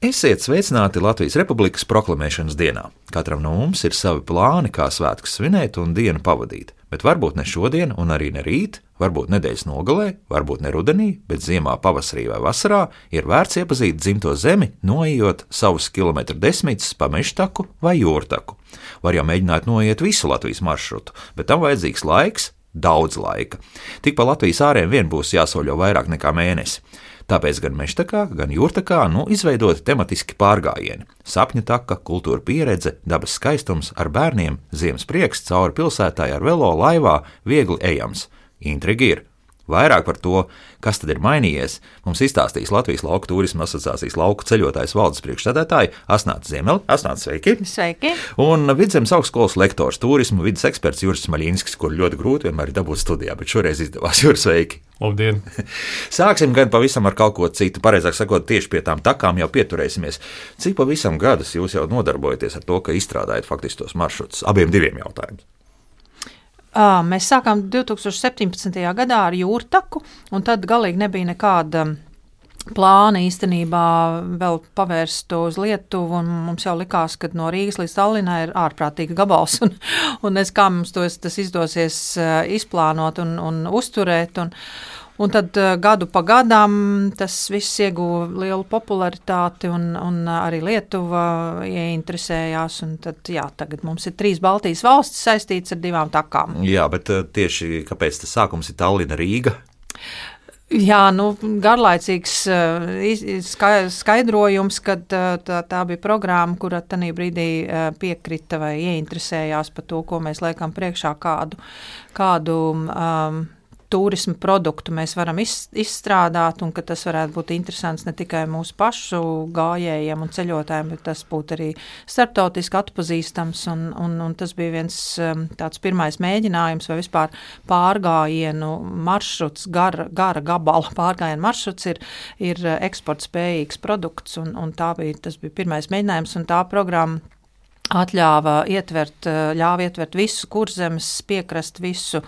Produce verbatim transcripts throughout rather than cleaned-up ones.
Esiet sveicināti Latvijas Republikas proklamēšanas dienā. Katram no mums ir savi plāni, kā svētkus svinēt un dienu pavadīt. Bet varbūt ne šodien un arī ne rīt, varbūt nedēļas nogalē, varbūt ne rudenī, bet ziemā, pavasarī vai vasarā ir vērts iepazīt dzimto zemi, noejot savus kilometru desmitus pa mežtaku vai jūrtaku. Var jau mēģināt noiet visu Latvijas maršrutu, bet tam vajadzīgs laiks, daudz laika. Tik pa Latvijas āriem vien būs jāsoļo vairāk nekā mēnesi. Tāpēc gan mežtakā, gan jūrtakā nu izveidoti tematiski pārgājieni. Sapņu taka, kultūra pieredze, dabas skaistums ar bērniem, ziemas prieks cauri pilsētai ar velo, laivā, viegli ejams. Intrigi ir. Vairāk par to, kas tad ir mainījies, mums izstāstīs Latvijas Lauku turisma asociācijas lauku ceļotājs valdes priekšsēdētāji Asnāta Ziemele. Asnāta, sveiki! Sveiki! Un Vidzemes augstskolas lektors, turisma vides eksperts Juris Smaļinskis, kur ļoti grūti vienmēr ir dabūt studijā, bet šoreiz izdevās. Juris, sveiki! Labdien! Sāksim gan pavisam ar kaut ko citu, pareizāk sakot, tieši pie tām takām jau pieturēsimies. Cik pavisam gadus jūs jau nodarbojaties ar to, ka izstrādājat faktiski tos maršrutus? Abiem diviem jautājumiem. Mēs sākām divi tūkstoši septiņpadsmitajā gadā ar jūrtaku, un tad galīgi nebija nekāda plāna īstenībā vēl pavērst uz Lietuvu, un mums jau likās, ka no Rīgas līdz Tallinai ir ārprātīga gabals, un, un es kā mums to, tas izdosies izplānot un, un uzturēt, un, un tad gadu pa gadam tas viss ieguva lielu popularitāti, un, un arī Lietuva ieinteresējās, un tad, jā, tagad mums ir trīs Baltijas valstis saistītas ar divām takām. Jā, bet tieši kāpēc tas sākums ir Tallina, Rīga? Jā, nu, garlaicīgs skaidrojums, kad tā, tā bija programma, kura tanī brīdī piekrita vai ieinteresējās par to, ko mēs liekam priekšā, kādu, kādu um, turismu produktu mēs varam iz, izstrādāt, un ka tas varētu būt interesants ne tikai mūsu pašu gājējiem un ceļotājiem, bet tas būtu arī starptautiski atpazīstams, un, un, un tas bija viens um, tāds pirmais mēģinājums vai vispār pārgājienu maršruts, gara, gara gabala pārgājienu maršruts ir, ir eksportspējīgs produkts, un, un tā bija, tas bija pirmais mēģinājums, un tā programma atļāva ietvert, ļāva ietvert visu Kurzemes piekrastu, visu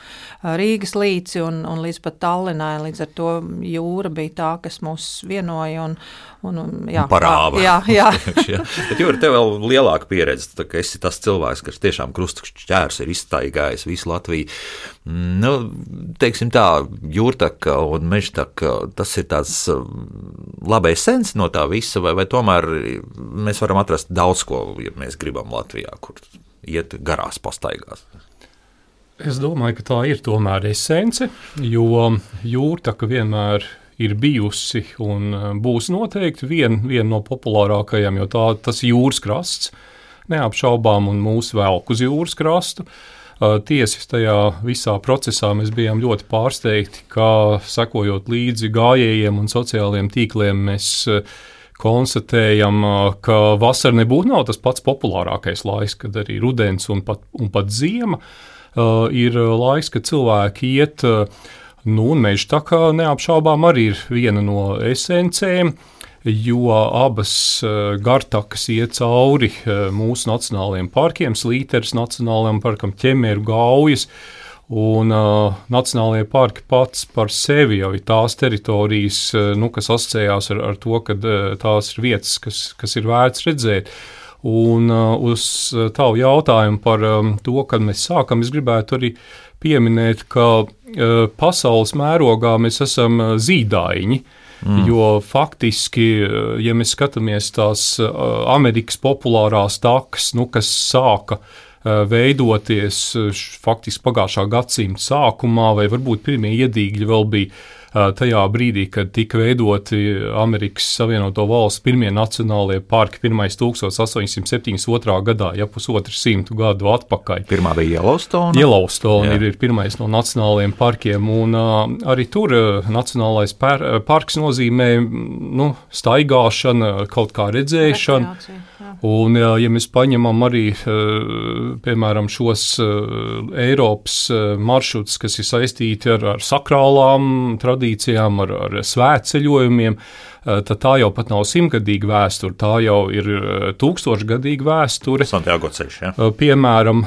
Rīgas līci un, un līdz pat Tallinai. Līdz ar to jūra bija tā, kas mūs vienoja un, un, jā, parāva. Jā, jā. jā. Bet Jūra, tev vēl lielāka pieredze, tā, ka esi tas cilvēks, kas tiešām krustšķērs ir izstaigājis visu Latviju. Nu, teiksim tā, jūrtaka un mežtaka, tas ir tāds labais sens no tā visa, vai, vai tomēr mēs varam atrast daudz ko, ja mēs gribam Latvijā, kur iet garās pastaigās? Es domāju, ka tā ir tomēr esence, jo jūrtaka vienmēr ir bijusi un būs noteikti viena vien no populārākajām, jo tā, tas jūras krasts neapšaubām un mūs velk uz jūras krastu. Tiesi tajā visā procesā mēs bijām ļoti pārsteigti, kā sekojot līdzi gājējiem un sociālajiem tīkliem mēs konstatējam, ka vasara nebūtu nav tas pats populārākais laiks, kad arī rudens un pat, un pat ziema uh, ir laiks, kad cilvēki iet, uh, nu, un mežtaka neapšaubām arī ir viena no esencēm, jo abas uh, gartakas iet cauri uh, mūsu nacionālajiem parkiem, Slīteres nacionālajiem parkam, Ķemeru, Gaujas. Un uh, nacionālajie parki pats par sevi jau ir tās teritorijas, uh, nu, kas asociējās ar, ar to, ka uh, tās ir vietas, kas, kas ir vērts redzēt. Un uh, uz tavu jautājumu par um, to, kad mēs sākam, es gribētu arī pieminēt, ka uh, pasaules mērogā mēs esam uh, zīdaiņi, mm. jo faktiski, uh, ja mēs skatāmies tās uh, Amerikas populārās takas, nu, kas sāka veidoties faktiski pagājušā gadsimta sākumā, vai varbūt pirmie iedīgļi vēl bija tajā brīdī, kad tika veidoti Amerikas Savienoto Valstu pirmie nacionālie parki, pirmais tūkstoš astoņsimt septiņdesmit otrā gadā, ja pusotru simtu gadu atpakaļ. Pirmā bija Yellowstone. Yellowstone ir, ir pirmais no nacionālajiem parkiem, un uh, arī tur uh, nacionālais par, uh, parks nozīmē nu, staigāšana, kaut kā redzēšana. Un, ja mēs paņemam arī, piemēram, šos Eiropas maršrutus, kas ir saistīti ar, ar sakrālām tradīcijām, tradīcijām, ar, ar svētceļojumiem, tad tā jau pat nav simtgadīga vēsture, tā jau ir tūkstošgadīga vēsture. Santiago ceļš, ja? Piemēram,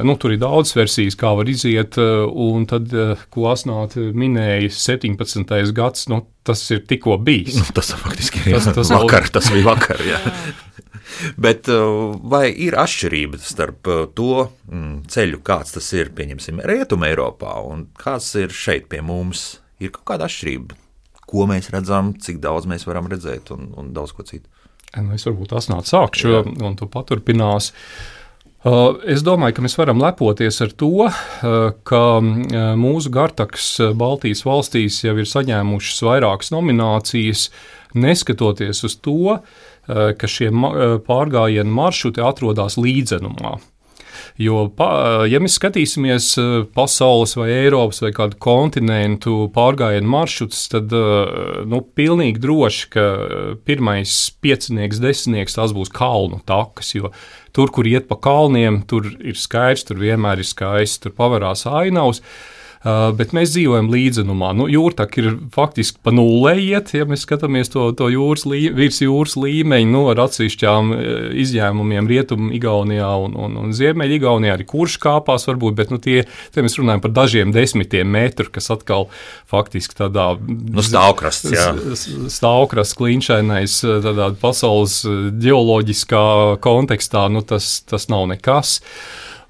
nu, tur ir daudz versijas, kā var iziet, un tad, ko Asnāte minēja, septiņpadsmitais gads, nu, tas ir tikko bijis. Nu, tas faktiski ir tas, tas vakar, tas bija vakar, jā. Bet vai ir atšķirība starp to ceļu, kāds tas ir, pieņemsim, Rietuma Eiropā, un kāds ir šeit pie mums? Ir kaut kāda atšķirība, ko mēs redzam, cik daudz mēs varam redzēt un, un daudz ko citu? Nu, es varbūt Asnāt sākšu, Jā. Un tu paturpinās. Uh, es domāju, ka mēs varam lepoties ar to, uh, ka uh, mūsu Gartaks Baltijas valstīs jau ir saņēmušas vairākas nominācijas, neskatoties uz to, uh, ka šie ma- pārgājienu maršruti atrodas līdzenumā. Jo, ja mēs skatīsimies pasaules vai Eiropas vai kādu kontinentu pārgājienu maršrutus, tad nu, pilnīgi droši, ka pirmais piecinieks, desmitnieks tās būs kalnu takas, jo tur, kur iet pa kalniem, tur ir skaists, tur vienmēr ir skaists, tur pavarās ainavas. Uh, bet mēs dzīvojam līdzenumā. Nu, jūrtaka ir faktiski pa nullē iet, ja mēs skatāmies to, to jūras lī, virs jūras līmeņu, nu, ar atsevišķām izņēmumiem Rietumu Igaunijā un, un, un Ziemeļa Igaunijā arī kurš kāpās varbūt, bet nu, tie, tie mēs runājam par dažiem desmitiem metru, kas atkal faktiski tādā nu, stāvkrasts, jā. Stāvkrasts kliņšainais tādā pasaules ģeoloģiskā kontekstā, nu, tas, tas nav nekas.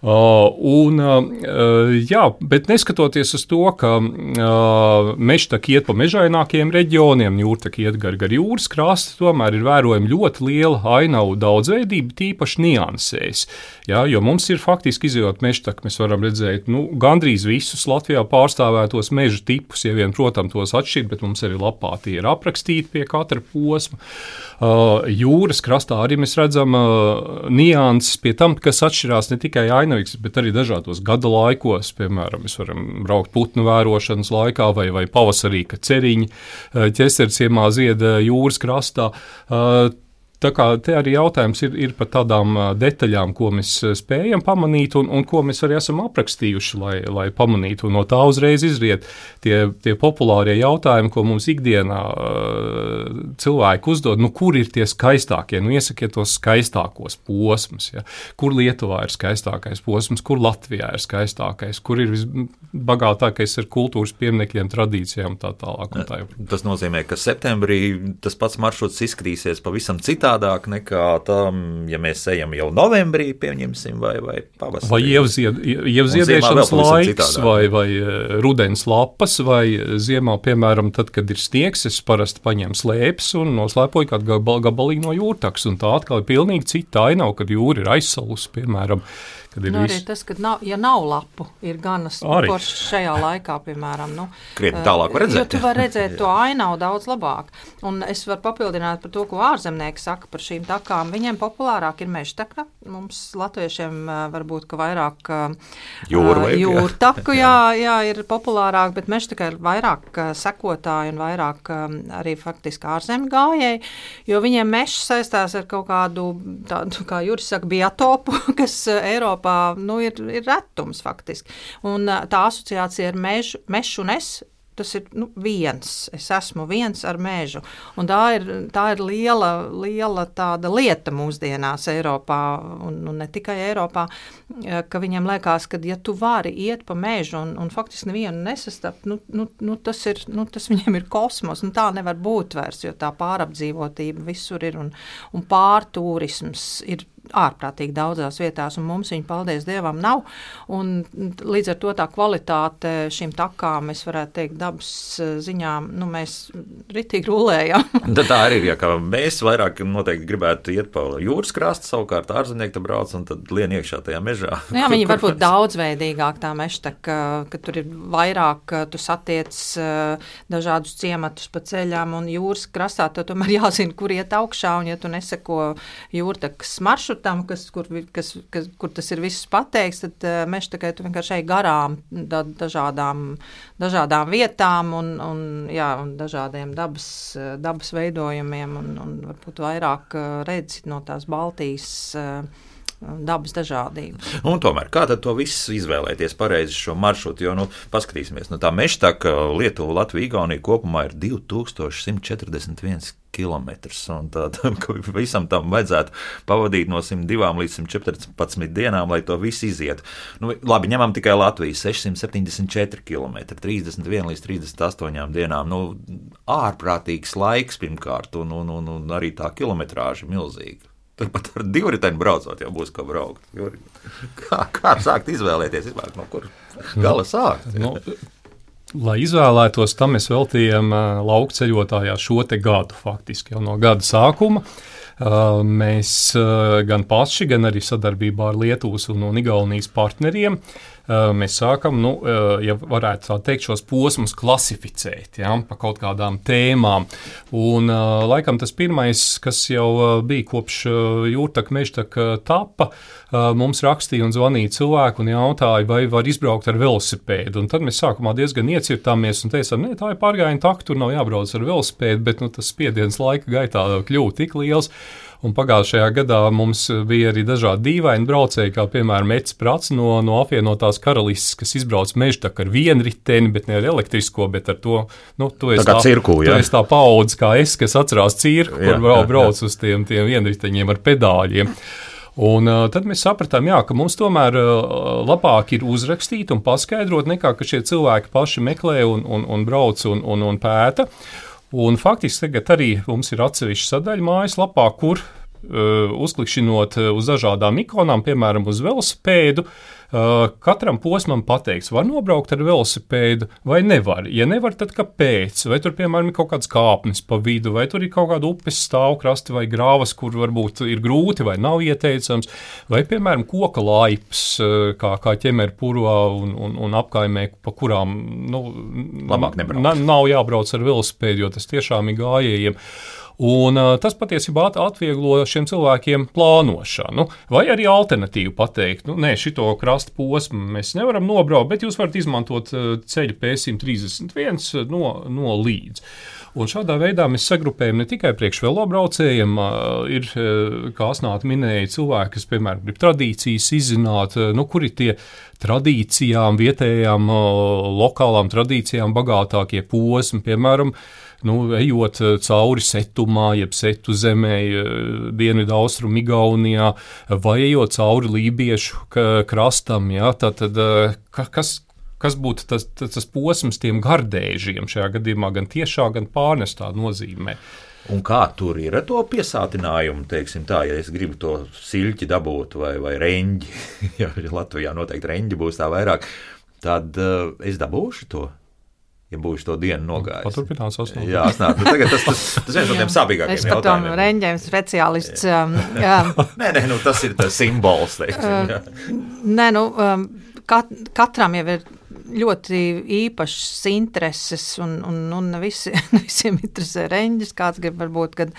Uh, un, uh, jā, bet neskatoties uz to, ka uh, mežtaka iet pa mežainākiem reģioniem, jūrtaka iet gar, gar jūras krastu, tomēr ir vērojama ļoti liela ainavu daudzveidība, tīpaši niansēs. Jā, jo mums ir faktiski izjūt mežtaka, mēs varam redzēt nu, gandrīz visus Latvijā pārstāvētos meža tipus, ja vien, protams, tos atšķirt, bet mums arī lapā tie ir aprakstīti pie katra posma. Uh, jūras krastā arī mēs redzam uh, nianses pie tam, kas atšķirās ne tikai ainavu, bet arī dažādos gada laikos, piemēram, mēs varam braukt putnu vērošanas laikā vai, vai pavasarī, kad ceriņi ķesterciemā zied jūras krastā. Tā kā te arī jautājums ir, ir par tādām detaļām, ko mēs spējam pamanīt un, un ko mēs arī esam aprakstījuši, lai, lai pamanītu. Un no tā uzreiz izriet tie, tie populārie jautājumi, ko mums ikdienā uh, cilvēki uzdod, nu kur ir tie skaistākie, nu iesakiet tos skaistākos posmus, ja? Kur Lietuvā ir skaistākais posms, kur Latvijā ir skaistākais, kur ir visbagātākais ar kultūras pieminekļiem, tradīcijām tā tālāk. Un tā. Tas nozīmē, ka septembrī tas pats maršruts izskatīsies pavisam citā Tādāk nekā tam, ja mēs ejam jau novembrī, pieņemsim, vai, vai pavasarī. Vai ievzied, ievziedēšanas laiks, vai, vai rudens lapas, vai ziemā, piemēram, tad, kad ir sniegs, es parasti paņemu slēpes un noslēpoju kādu gabalīgu no jūrtakas, un tā atkal ir pilnīgi cita ainava, kad jūra ir aizsalusi, piemēram. Nu, arī vis... tas, ka nav, ja nav lapu, ir ganas foršs šajā laikā, piemēram. Nu, Krietni tālāk var redzēt. Jo tu var redzēt to ainavu daudz labāk. Un es varu papildināt par to, ko ārzemnieki saka par šīm takām. Viņiem populārāk ir mežtaka. Mums latviešiem varbūt, ka vairāk Jūra vajag, jūrtaku, jā, jā, ir populārāk, bet mežtaka ir vairāk sekotāji un vairāk arī faktiski ārzemju gājēji, jo viņiem mežs saistās ar kaut kādu, tādu, kā Juris saka, biotopu, kas Eiropā Nu, ir, ir retums faktiski. Un tā asociācija ar mežu, mežu un es, tas ir nu, viens. Es esmu viens ar mežu. Un tā ir, tā ir liela, liela tāda lieta mūsdienās Eiropā, un, un ne tikai Eiropā, ka viņiem liekas, ka ja tu vari iet pa mežu un, un faktiski nevienu nesastapt, nu, nu, nu, tas, ir, nu, tas viņiem ir kosmos. Nu, tā nevar būt vairs, jo tā pārapdzīvotība visur ir un, un pārtūrisms ir ārprātīgi daudzās vietās, un mums viņa, paldies Dievam, nav. Un līdz ar to tā kvalitāte šīm takām, es varētu teikt, dabas ziņā, nu, mēs ritīgi rulējam. Tā arī ir, ja kā mēs vairāk noteikti gribētu iet pa jūras krastu, savukārt ārzemnieki te brauc un tad lien iekšā tajā mežā. Nu, jā, viņi varbūt daudzveidīgāk tā mežtaka, ka tur ir vairāk, tu satiec dažādus ciematus pa ceļām, un jūras krastā tu tomēr jāzina, kur iet augšā, un ja tu neseko jūrtakas maršrutam, kas, kur, kas, kas, kur tas ir viss pateikts, tad uh, mežtakai tu vienkārši ej garām da, dažādām, dažādām vietām un, un, jā, un dažādiem dabas, dabas veidojumiem un, un varbūt vairāk uh, redzi no tās Baltijas uh, dabas dažādību. Un tomēr, kā tad to visu izvēlēties pareizi šo maršrutu, jo, nu, paskatīsimies, nu, tā Mežtaka, Lietuva, Latvija, Igaunija kopumā ir divi tūkstoši simt četrdesmit viens kilometrs, un tad visam tam vajadzētu pavadīt no simt divām līdz simt četrpadsmit dienām, lai to visu izietu. Nu, labi, ņemam tikai Latviju, sešsimt septiņdesmit četri kilometri, trīsdesmit viena līdz trīsdesmit astoņām dienām, nu, ārprātīgs laiks pirmkārt, un, un, un, un arī tā kilometrāža milzīga. Tad pat ar divriteni braucot jau būs kā braukt. Kā, kā sākt izvēlēties, izvēlēt, no kur gala sākt? Nu, lai izvēlētos, tam mēs veltījām lauku ceļotājā šo te gadu faktiski jau no gada sākuma. Mēs gan paši, gan arī sadarbībā ar Lietuvas un, un Igaunijas partneriem mēs sākam, nu, ja varētu tā teikt, šos posmus klasificēt, ja, pa kaut kādām tēmām. Un laikam tas pirmais, kas jau bija kopš Jūrtaka, Mežtaka tapa, mums rakstīja un zvanīja cilvēku un jautāja, vai var izbraukt ar velosipēdu. Un tad mēs sākumā diezgan iecirtāmies un teicām, ne, tā ir pārgājiena taka, tur nav jābrauc ar velosipēdu, bet nu, tas spiediens laika gaitā kļūst tik liels. Un pagājušajā gadā mums bija arī dažādi dīvaini braucēji, kā piemēram Mets Prats no, no apvienotās karalistes, kas izbrauc Mežtaku ar vienriteni, bet ne ar elektrisko, bet ar to, nu, tu esi tā, tā, cirku, tu esi tā paudze kā es, kas atcerās cirku, jā, kur brauc, brauc uz tiem, tiem vienriteņiem ar pedāļiem. Un uh, tad mēs sapratām, jā, ka mums tomēr uh, labāk ir uzrakstīt un paskaidrot, nekā ka šie cilvēki paši meklē un, un, un brauc un, un, un pēta. Un faktiski tagad arī mums ir atsevišķa sadaļa mājaslapā, kur uh, uzklikšķinot uz dažādām ikonām, piemēram, uz velosipēdu, uh, katram posmam pateikts, var nobraukt ar velosipēdu vai nevar. Ja nevar, tad kāpēc? Vai tur, piemēram, ir kaut kāds kāpnes pa vidu, vai tur ir kaut kāda upes stāvkrasti vai grāvas, kur varbūt ir grūti vai nav ieteicams, vai, piemēram, koka laips, uh, kā, kā ķemerpurvā un, un, un apkaimē, pa kurām, nu, labāk nebrauc. N- nav jābrauc ar velosipēdu, jo tas tiešām ir gājējiem. Un uh, tas patiesībā atvieglo šiem cilvēkiem plānošanu, vai arī alternatīvu pateikt, nu, nē, šito krasta posmu mēs nevaram nobraukt, bet jūs varat izmantot uh, ceļu P simt trīsdesmit viens no, no līdz. Un šādā veidā mēs sagrupējam ne tikai priekš velobraucējiem, uh, ir, uh, kā Asnāta minēja, cilvēki, kas, piemēram, grib tradīcijas izzināt, uh, nu, kur ir tie tradīcijām, vietējām, uh, lokālām tradīcijām bagātākie posmi, piemēram, nu, ejot cauri Setumā, jeb Setu zemē, dienvidu austrumu Igaunijā, vai ejot cauri lībiešu krastam, ja, tad, tad kas, kas būtu tas, tas, tas posms tiem gardēžiem šajā gadījumā gan tiešā, gan pārnestā nozīmē. Un kā tur ir ar to piesātinājumu, teiksim tā, ja es gribu to siļķi dabūt vai, vai reņģi, ja Latvijā noteikti reņģi būs tā vairāk, tad uh, es dabūšu to? Ja būšu to dienu nogājis. Paturpinās Asnāt. Jā, Asnāt. Nu, tagad tas, tas, tas viens no tiem sāpīgākiem jautājumiem. Es pat tom reņģiem speciālists. Um, jā. nē, nē, nu, tas ir tas simbols, teiksim. Jā. Nē, nu, um, kat, katram jau ir ļoti īpašas intereses, un, un, un ne visi, visiem interesē reņģis. Kāds grib varbūt kad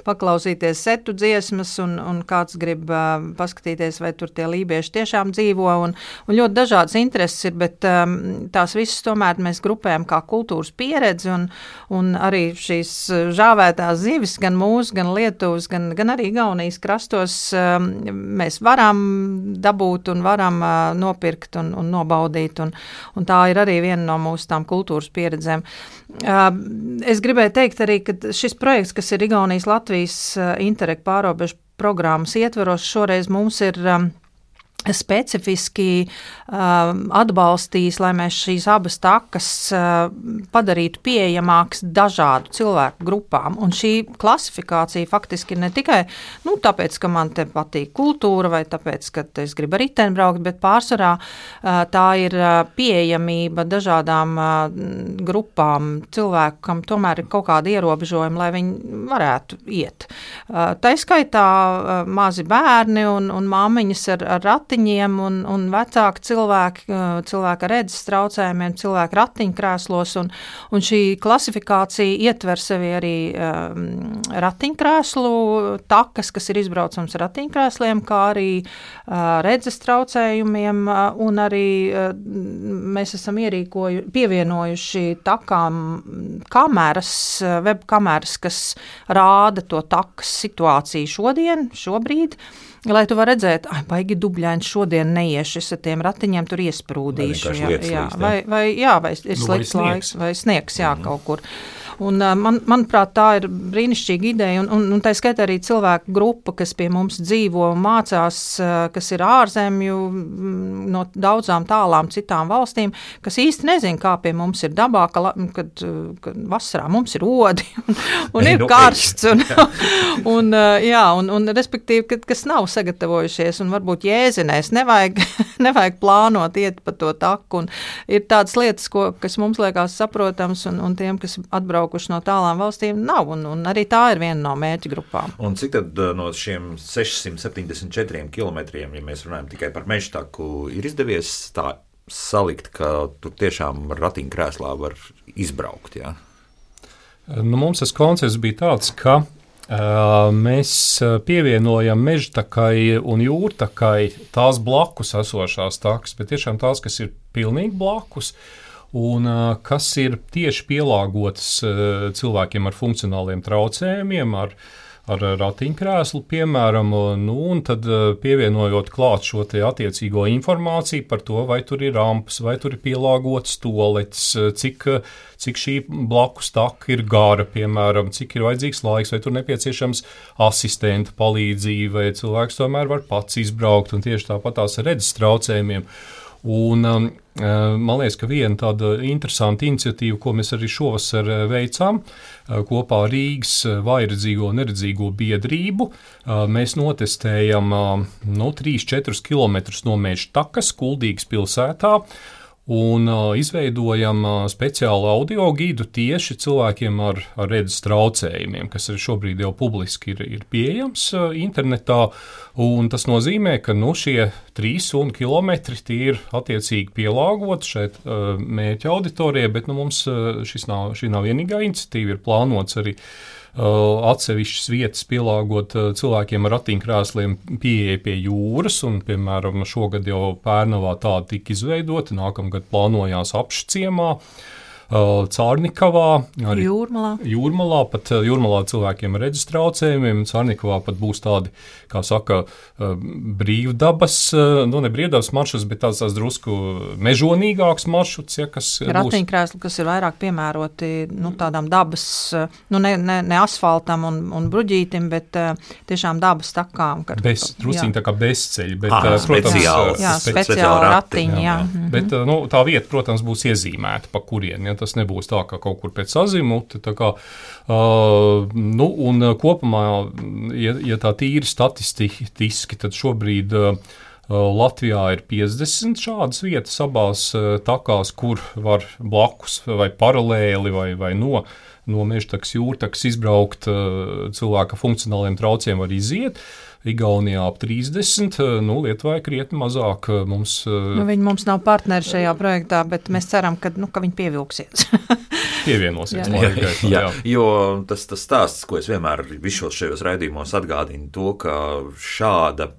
paklausīties setu dziesmas, un, un kāds grib uh, paskatīties, vai tur tie lībieši tiešām dzīvo, un, un ļoti dažādas intereses ir, bet um, tās visas tomēr mēs grupējam kā kultūras pieredzi, un, un arī šīs žāvētās zivis, gan mūsu, gan Lietuvas, gan, gan arī Igaunijas krastos um, mēs varam dabūt un varam uh, nopirkt un, un nobaudīt, un, un tā ir arī viena no mūsu tām kultūras pieredzēm. Es gribēju teikt arī, ka šis projekts, kas ir Igaunijas Latvijas Interreg pārobežu programmas ietveros, šoreiz mums ir specifiski uh, atbalstījis, lai mēs šīs abas takas uh, padarītu pieejamākas dažādu cilvēku grupām. Un šī klasifikācija faktiski ir ne tikai nu, tāpēc, ka man te patīk kultūra vai tāpēc, ka es gribu ar riteni braukt, bet pārsvarā uh, tā ir uh, pieejamība dažādām uh, grupām cilvēku, kam tomēr ir kaut kādi ierobežojumi, lai viņi varētu iet. Uh, tā skaitā uh, mazi bērni un, un māmiņas ar, ar ratu ratiņiem un, un vecāki cilvēki, cilvēki ar redzes traucējumiem, cilvēki ratiņkrēslos, un, un šī klasifikācija ietver sevi arī um, ratiņkrēslu takas, kas ir izbraucams ratiņkrēsliem, kā arī uh, redzes traucējumiem, uh, un arī uh, mēs esam ierīkoju, pievienojuši takām kameras, uh, web kameras, kas rāda to takas situāciju šodien, šobrīd, lai tu var redzēt, ai, baigi dubļaini šodien neieši es ar tiem ratiņiem tur iesprūdīšu. Vai jā, jā, vai, vai, jā, vai ir nu, slikts vai laiks, vai sniegs, jā, mm. kaut kur. Un, man, manuprāt, tā ir brīnišķīga ideja, un, un, un tā skaitā arī cilvēku grupa, kas pie mums dzīvo un mācās, kas ir ārzemju no daudzām tālām citām valstīm, kas īsti nezin, kā pie mums ir dabā, ka, kad, kad vasarā mums ir odi un, un ir karsts, un, un, jā, un, un respektīvi, kad, kas nav sagatavojušies, un varbūt jēzinēs, nevajag, nevajag plānot iet pa to taku, un ir tādas lietas, ko, kas mums liekas saprotams, un, un tiem, kas atbrauc no tālām valstīm nav, un, un arī tā ir viena no mērķa grupām. Un cik tad no šiem sešsimt septiņdesmit četriem kilometriem, ja mēs runājam tikai par mežtaku, ir izdevies tā salikt, ka tur tiešām ratiņkrēslā var izbraukt, jā? Nu, mums tas koncepts bija tāds, ka uh, mēs pievienojam mežtakai un jūrtakai tās blakus esošās takas, bet tiešām tās, kas ir pilnīgi blakus, un uh, kas ir tieši pielāgotas uh, cilvēkiem ar funkcionāliem traucējumiem, ar, ar ratiņkrēslu, piemēram, nu, un tad uh, pievienojot klāt šo te attiecīgo informāciju par to, vai tur ir rampas, vai tur ir pielāgotas toaletes, cik, cik šī blakus taka ir gara, piemēram, cik ir vajadzīgs laiks, vai tur nepieciešams asistenta palīdzība, vai cilvēks tomēr var pats izbraukt, un tieši tāpat tās redzes traucējumiem. Un, um, man liekas, ka viena tāda interesanta iniciatīva, ko mēs arī šovasar veicām, kopā ar Rīgas vājredzīgo un neredzīgo biedrību, mēs notestējam no trīs līdz četriem kilometrus no mežtakas Kuldīgas pilsētā, un uh, izveidojam uh, speciālu audio gidu tieši cilvēkiem ar, ar redzes traucējumiem, kas arī šobrīd jau publiski ir, ir pieejams uh, internetā, un tas nozīmē, ka nu, šie trīs un kilometri tie ir attiecīgi pielāgoti šeit uh, mērķa auditorijai, bet nu, mums uh, šis nav, šī nav vienīgā iniciatīva, ir plānots arī Uh, atsevišķas vietas pielāgot uh, cilvēkiem ar ratiņkrēsliem pieeja pie jūras, un, piemēram, šogad jau Pērnavā tāda tika izveidota, nākamgad plānojās Apšciemā, uh, Cārnikavā, arī Jūrmalā. Jūrmalā, pat uh, Jūrmalā cilvēkiem ar redzes traucējumiem, Cārnikavā pat būs tādi, kā saka, uh, brīvdabas, uh, nu ne brīvdabas maršruts, bet tāds, tāds drusku mežonīgāks maršruts, ja, kas būs. Ratiņkrēsli, kas ir vairāk piemēroti, nu, tādām dabas, nu, ne, ne, ne asfaltam un, un bruģītim, bet uh, tiešām dabas takām. Kad, bez, drusciņi tā kā bezceļi, bet, ah, uh, protams, speciāli, jā, speciāli ratiņi, jā. jā. Mm-hmm. Bet, uh, nu, tā vieta, protams, būs iezīmēta, pa kurien, ja tas nebūs tā, ka kaut kur pēc azimuta, tā kā, uh, nu, un kopumā, ja, ja tā tīri statistiski, tad šobrīd uh, Latvijā ir piecdesmit šādas vietas abās uh, takās, kur var blakus vai paralēli vai, vai no no mežtakas, jūrtakas izbraukt uh, cilvēka funkcionāliem traucējumiem var iziet. Igaunijā ap trīsdesmit, nu, Lietuvā krietni mazāk mums. Nu, viņi mums nav partneri šajā projektā, bet mēs ceram, ka, nu, ka viņi pievilksies. Pievienosies. jā, jā, jā, jo tas, tas stāsts, ko es vienmēr visos šajos raidījumos atgādinu, to, ka šāda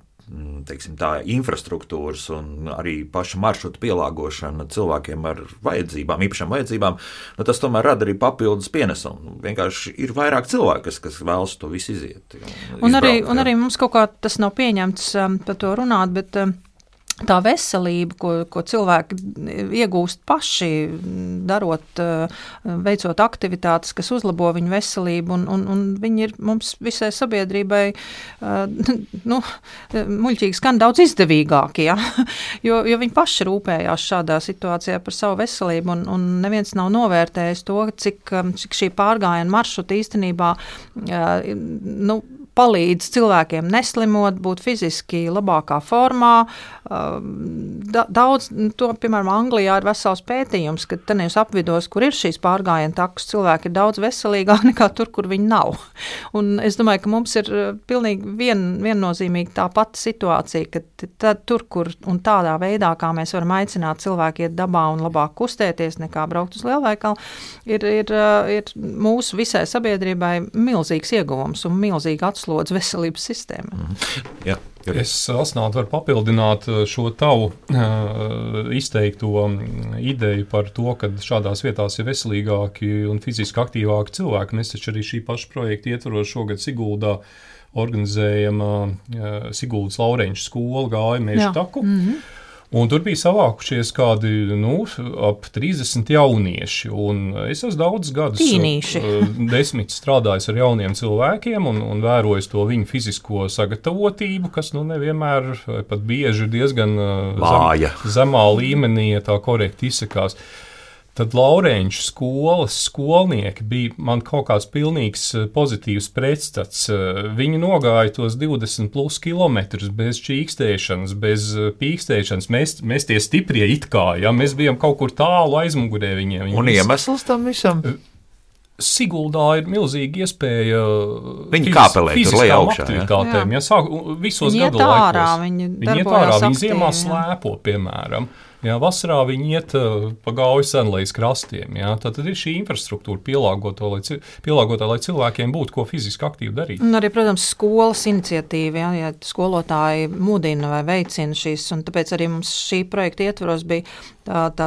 teiksim, tā infrastruktūras un arī paša maršruta pielāgošana cilvēkiem ar vajadzībām, īpašām vajadzībām, nu, tas tomēr rada arī papildus pienesumu. Vienkārši ir vairāk cilvēku, kas, kas vēlas to visu iziet. Un, un, izbraukt, arī, un arī mums kaut kā tas nav pieņemts um, par to runāt, bet um, tā veselība, ko, ko cilvēki iegūst paši, darot, veicot aktivitātes, kas uzlabo viņu veselību, un, un, un viņi ir mums visai sabiedrībai, nu, muļķīgi skan daudz izdevīgāki, ja? jo, jo viņi paši rūpējās šādā situācijā par savu veselību, un, un neviens nav novērtējis to, cik, cik šī pārgājiena maršruta īstenībā, nu, palīdz cilvēkiem neslimot, būt fiziski labākā formā. Daudz, to, piemēram, Anglijā ir vesels pētījums, ka tajos apvidos, kur ir šīs pārgājienu takas, cilvēki ir daudz veselīgāki nekā tur, kur viņi nav. Un es domāju, ka mums ir pilnīgi vien, viennozīmīgi tā pati situācija, ka tad, tur, kur un tādā veidā, kā mēs varam aicināt cilvēku iet dabā un labāk kustēties nekā braukt uz lielveikalu, ir, ir, ir mūsu visai sabiedrībai milzīgs ieguvums un milzīga atslodze veselības sistēmai. Mm. Jā. Es, Asnāt, varu papildināt šo tavu uh, izteikto ideju par to, ka šādās vietās ir veselīgāki un fiziski aktīvāki cilvēki. Mēs taču arī šī paša projekta ietvaros šogad Siguldā organizējam uh, Siguldas Laureņšu skolu gāju Meža taku. Mm-hmm. Un tur bija savākušies kādi, nu, ap trīsdesmit jaunieši, un es esmu daudz gadus Tīnīši. desmit strādājis ar jauniem cilvēkiem un, un vērojis to viņu fizisko sagatavotību, kas, nu, nevienmēr, pat bieži diezgan Vāja. zem, zemā līmenī, ja tā korekti izsakās. Tad Laureņšu skolas skolnieki bija man kaut kāds pilnīgs pozitīvs pretstats. Viņi nogāja tos divdesmit plus kilometrus bez čīkstēšanas, bez pīkstēšanas. Mēs, mēs tie stiprie it kā, ja mēs bijām kaut kur tālu aizmugurē viņiem. Viņi Un iemesls tam visam? Siguldā ir milzīga iespēja viņi kāpelē tur lej augšā, aktivitātēm. Ja? Ja, sāk, visos viņi gadu ārā, laikos. Viņi, viņi iet ārā, viņi ziemā slēpo, piemēram. Jā, vasarā viņi iet uh, pa gauju senlejas krastiem. Jā. Tātad ir šī infrastruktūra pielāgota, lai, pielāgota, lai cilvēkiem būtu ko fiziski aktīvi darīt. Un arī, protams, skolas iniciatīva, jā, ja skolotāji mudina vai veicina šīs, un tāpēc arī mums šī projekta ietvaros bija tā, tā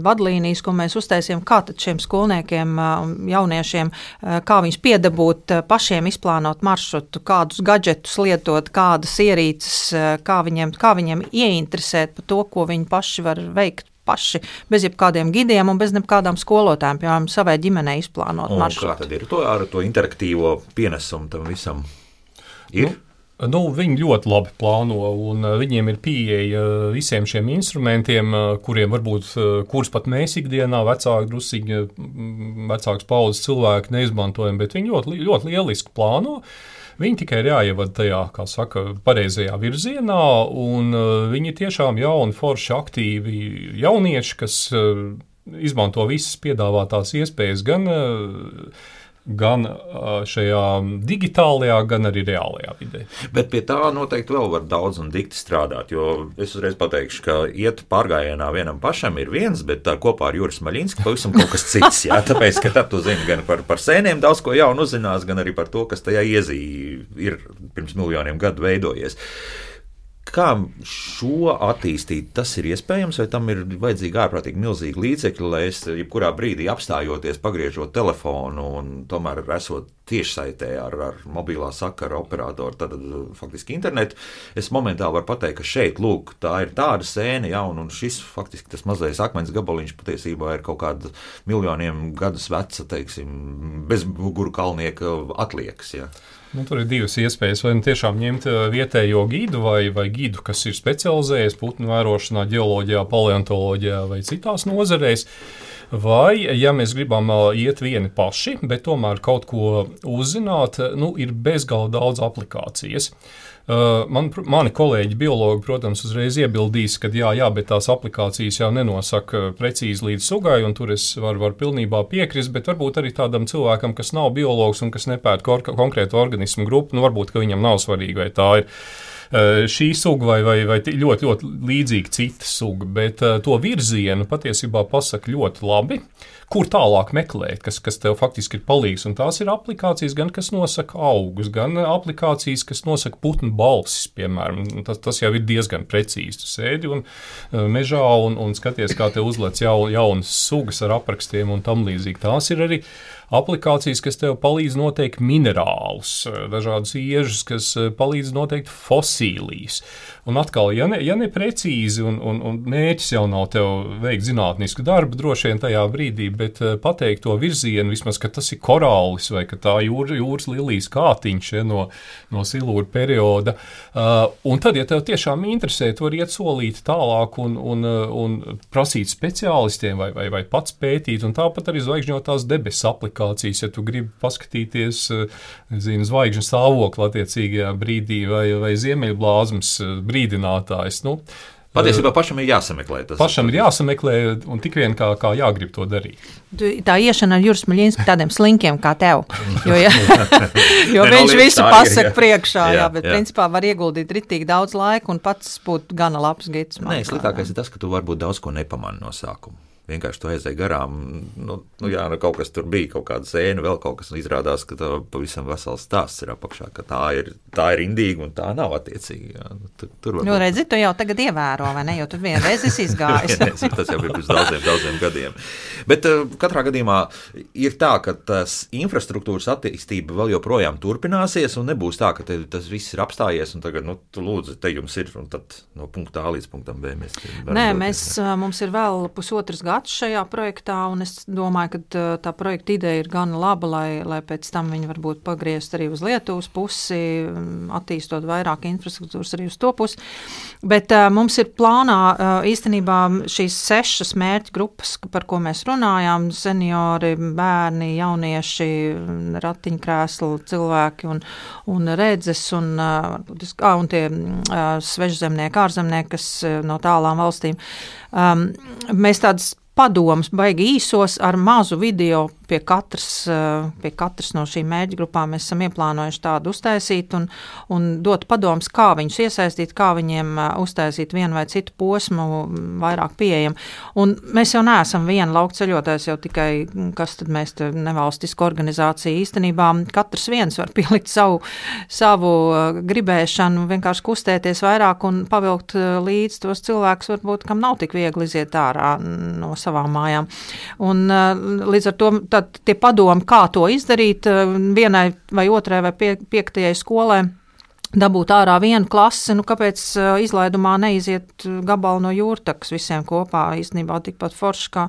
vadlīnijas, ko mēs uztaisījām, kā tad šiem skolniekiem, jauniešiem, kā viņus piedabūt, pašiem izplānot maršrutu, kādus gadžetus lietot, kādas ierīces, kā viņiem, kā viņiem ieinteresēt par to, ko viņi paši var veikt paši, bez jebkādiem gidiem un bez nekādām skolotājiem, piemēram, savai ģimenei izplānot un maršrutu. Kā tad ir to, ar to interaktīvo pienesumu tam visam? Ir? Nu, nu, viņi ļoti labi plāno, un viņiem ir pieeja visiem šiem instrumentiem, kuriem varbūt, kurus pat mēs ikdienā vecāki drusīgi, vecāks paudzes cilvēki neizmantojam, bet viņi ļoti, ļoti lieliski plāno. Viņi tikai ir jāievada tajā, kā saka, pareizajā virzienā, un uh, viņi tiešām jauni, forši, aktīvi jaunieši, kas uh, izmanto visas piedāvātās iespējas gan, uh, gan uh, šajā digitālajā, gan arī reālajā vidē. Bet pie tā noteikti vēl var daudz un dikti strādāt, jo es uzreiz pateikšu, ka iet pārgājienā vienam pašam ir viens, bet tā kopā ar Juris Maļinski pavisam kaut kas cits, jā, tāpēc, ka tad tu zini gan par, par sēniem daudz ko jaunu uzzinās, gan arī par to, kas tajā iezī ir pirms miljoniem gadu veidojies. Kā šo attīstīt, tas ir iespējams, vai tam ir vajadzīgi ārprātīgi milzīgi līdzekļi, lai es jebkurā brīdī apstājoties, pagriežot telefonu un tomēr esot tiešsaitē ar, ar mobilā sakara operatoru, tad faktiski internetu, es momentāli varu pateikt, ka šeit, lūk, tā ir tāda sēne, ja, un, un šis faktiski tas mazais akmens gabaliņš patiesībā ir kaut kāda miljoniem gadus veca, teiksim, bez muguru kalnieka atliekas, ja. Nu, tur ir divas iespējas. Vai nu tiešām ņemt vietējo gidu vai, vai gidu, kas ir specializējies putnu vērošanā, ģeoloģijā, paleontoloģijā vai citās nozarēs. Vai, ja mēs gribam iet vieni paši, bet tomēr kaut ko uzzināt, nu, ir bezgala daudz aplikācijas. Man, mani kolēģi biologi, protams, uzreiz iebildīs, ka jā, jā, bet tās aplikācijas jau nenosaka precīzi līdz sugai, un tur es varu, varu pilnībā piekrist, bet varbūt arī tādam cilvēkam, kas nav biologs un kas nepēta konkrētu organismu grupu, nu varbūt, ka viņam nav svarīgi, vai tā ir šī suga vai, vai, vai ļoti, ļoti līdzīga cita suga, bet to virzienu patiesībā pasaka ļoti labi. Kur tālāk meklēt, kas, kas tev faktiski ir palīgs. Un tās ir aplikācijas, gan kas nosaka augus, gan aplikācijas, kas nosaka putnu balsis, piemēram. Tas, tas jau ir diezgan precīzi. Tu sēdi un mežā un, un skaties, kā te uzlec jaun, jaunas sugas ar aprakstiem un tam līdzīgi. Tās ir arī aplikācijas, kas tev palīdz noteikt minerālus, dažādas iežas, kas palīdz noteikt fosīlijas. Un atkal, ja ne, ja ne precīzi un, un, un mērķis jau nav tev veikt zinātnisku darbu, droši vien tajā brīdī, bet pateikt to virzienu, vismaz, ka tas ir korālis vai ka tā jūra, jūras lilijas kātiņš ja, no, no silūra perioda. Uh, un tad, ja tev tiešām interesē, tu vari iet solīt tālāk un, un, un prasīt speciālistiem vai, vai, vai pats pētīt, un tāpat arī zvaigžņotās debesu aplikācijas. notifikācijas, ja tu gribi paskatīties, zinu, zvaigžņu stāvokli attiecīgajā brīdī vai, vai ziemeļblāzmas brīdinātājs. Nu, Patiesībā pašam ir jāsameklē tas. Pašam ir jāsameklē un tik vien kā, kā jāgrib to darīt. Tā iešana ar Juris Smaļinski tādiem slinkiem kā tev, jo, ja, jo viņš visu pasaka priekšā, jā, jā, bet jā. Principā var ieguldīt ritīgi daudz laika un pats būt gana labs gids. Nē, sliktākais ir tas, ka tu varbūt daudz ko nepamani no sākuma. Vienkārši tu aizēji garām, nu, nu jā, nu, kaut kas tur bija, kaut kāda sēna, vēl kaut kas, un izrādās, ka tā pavisam vesels stāsts ir apakšā, ka tā ir, tā ir indīga un tā nav attiecīgi. Jā. Tur, tur nu, redzi, tu jau tagad ievēro, vai ne, jo tu vienreiz esi izgājis. Tas jau bija pirms daudziem, daudziem gadiem. Bet uh, katrā gadījumā ir tā, ka tas infrastruktūras attīstība vēl joprojām turpināsies, un nebūs tā, ka te, tas viss ir apstājies, un tagad, nu, tu lūdzu, te jums ir, un tad no punkta A līdz punktam B mēs varam Nē, doties, mēs, jā. Mums ir vēl pusotras gads šajā projektā, un es domāju, ka tā projekta ideja ir gana laba, lai, lai pēc tam viņi varbūt pagriezt arī uz Lietuvas pusi, attīstot vairāk infrastruktūras arī uz to pusi. Bet uh, mums ir plānā uh, īstenībā šīs sešas mērķu grupas, par ko mēs runājām, seniori, bērni, jaunieši, ratiņkrēsli, cilvēki un, un redzes, un, uh, un tie uh, svežzemnieki, ārzemnieki, kas uh, no tālām valstīm. Um, mēs tādas padomus baigi īsos ar mazu video pie katras, pie katras no šīm mērķu grupām mēs esam ieplānojuši tādu uztaisīt un, un dot padomus, kā viņus iesaistīt, kā viņiem uztaisīt vienu vai citu posmu vairāk pieejam. Un mēs jau neesam viena laukceļotājs, jau tikai, kas tad mēs te nevalstiska organizācija īstenībā, katrs viens var pielikt savu, savu gribēšanu, vienkārši kustēties vairāk un pavilkt līdz tos cilvēkus, varbūt, kam nav tik viegli iziet ārā no savām mājām. Un līdz ar to tad tie padomi, kā to izdarīt vienai vai otrai vai pie, piektajai skolai, dabūt ārā vienu klasi, nu kāpēc izlaidumā neiziet gabalu no jūrtakas visiem kopā, īstenībā tikpat forši, kā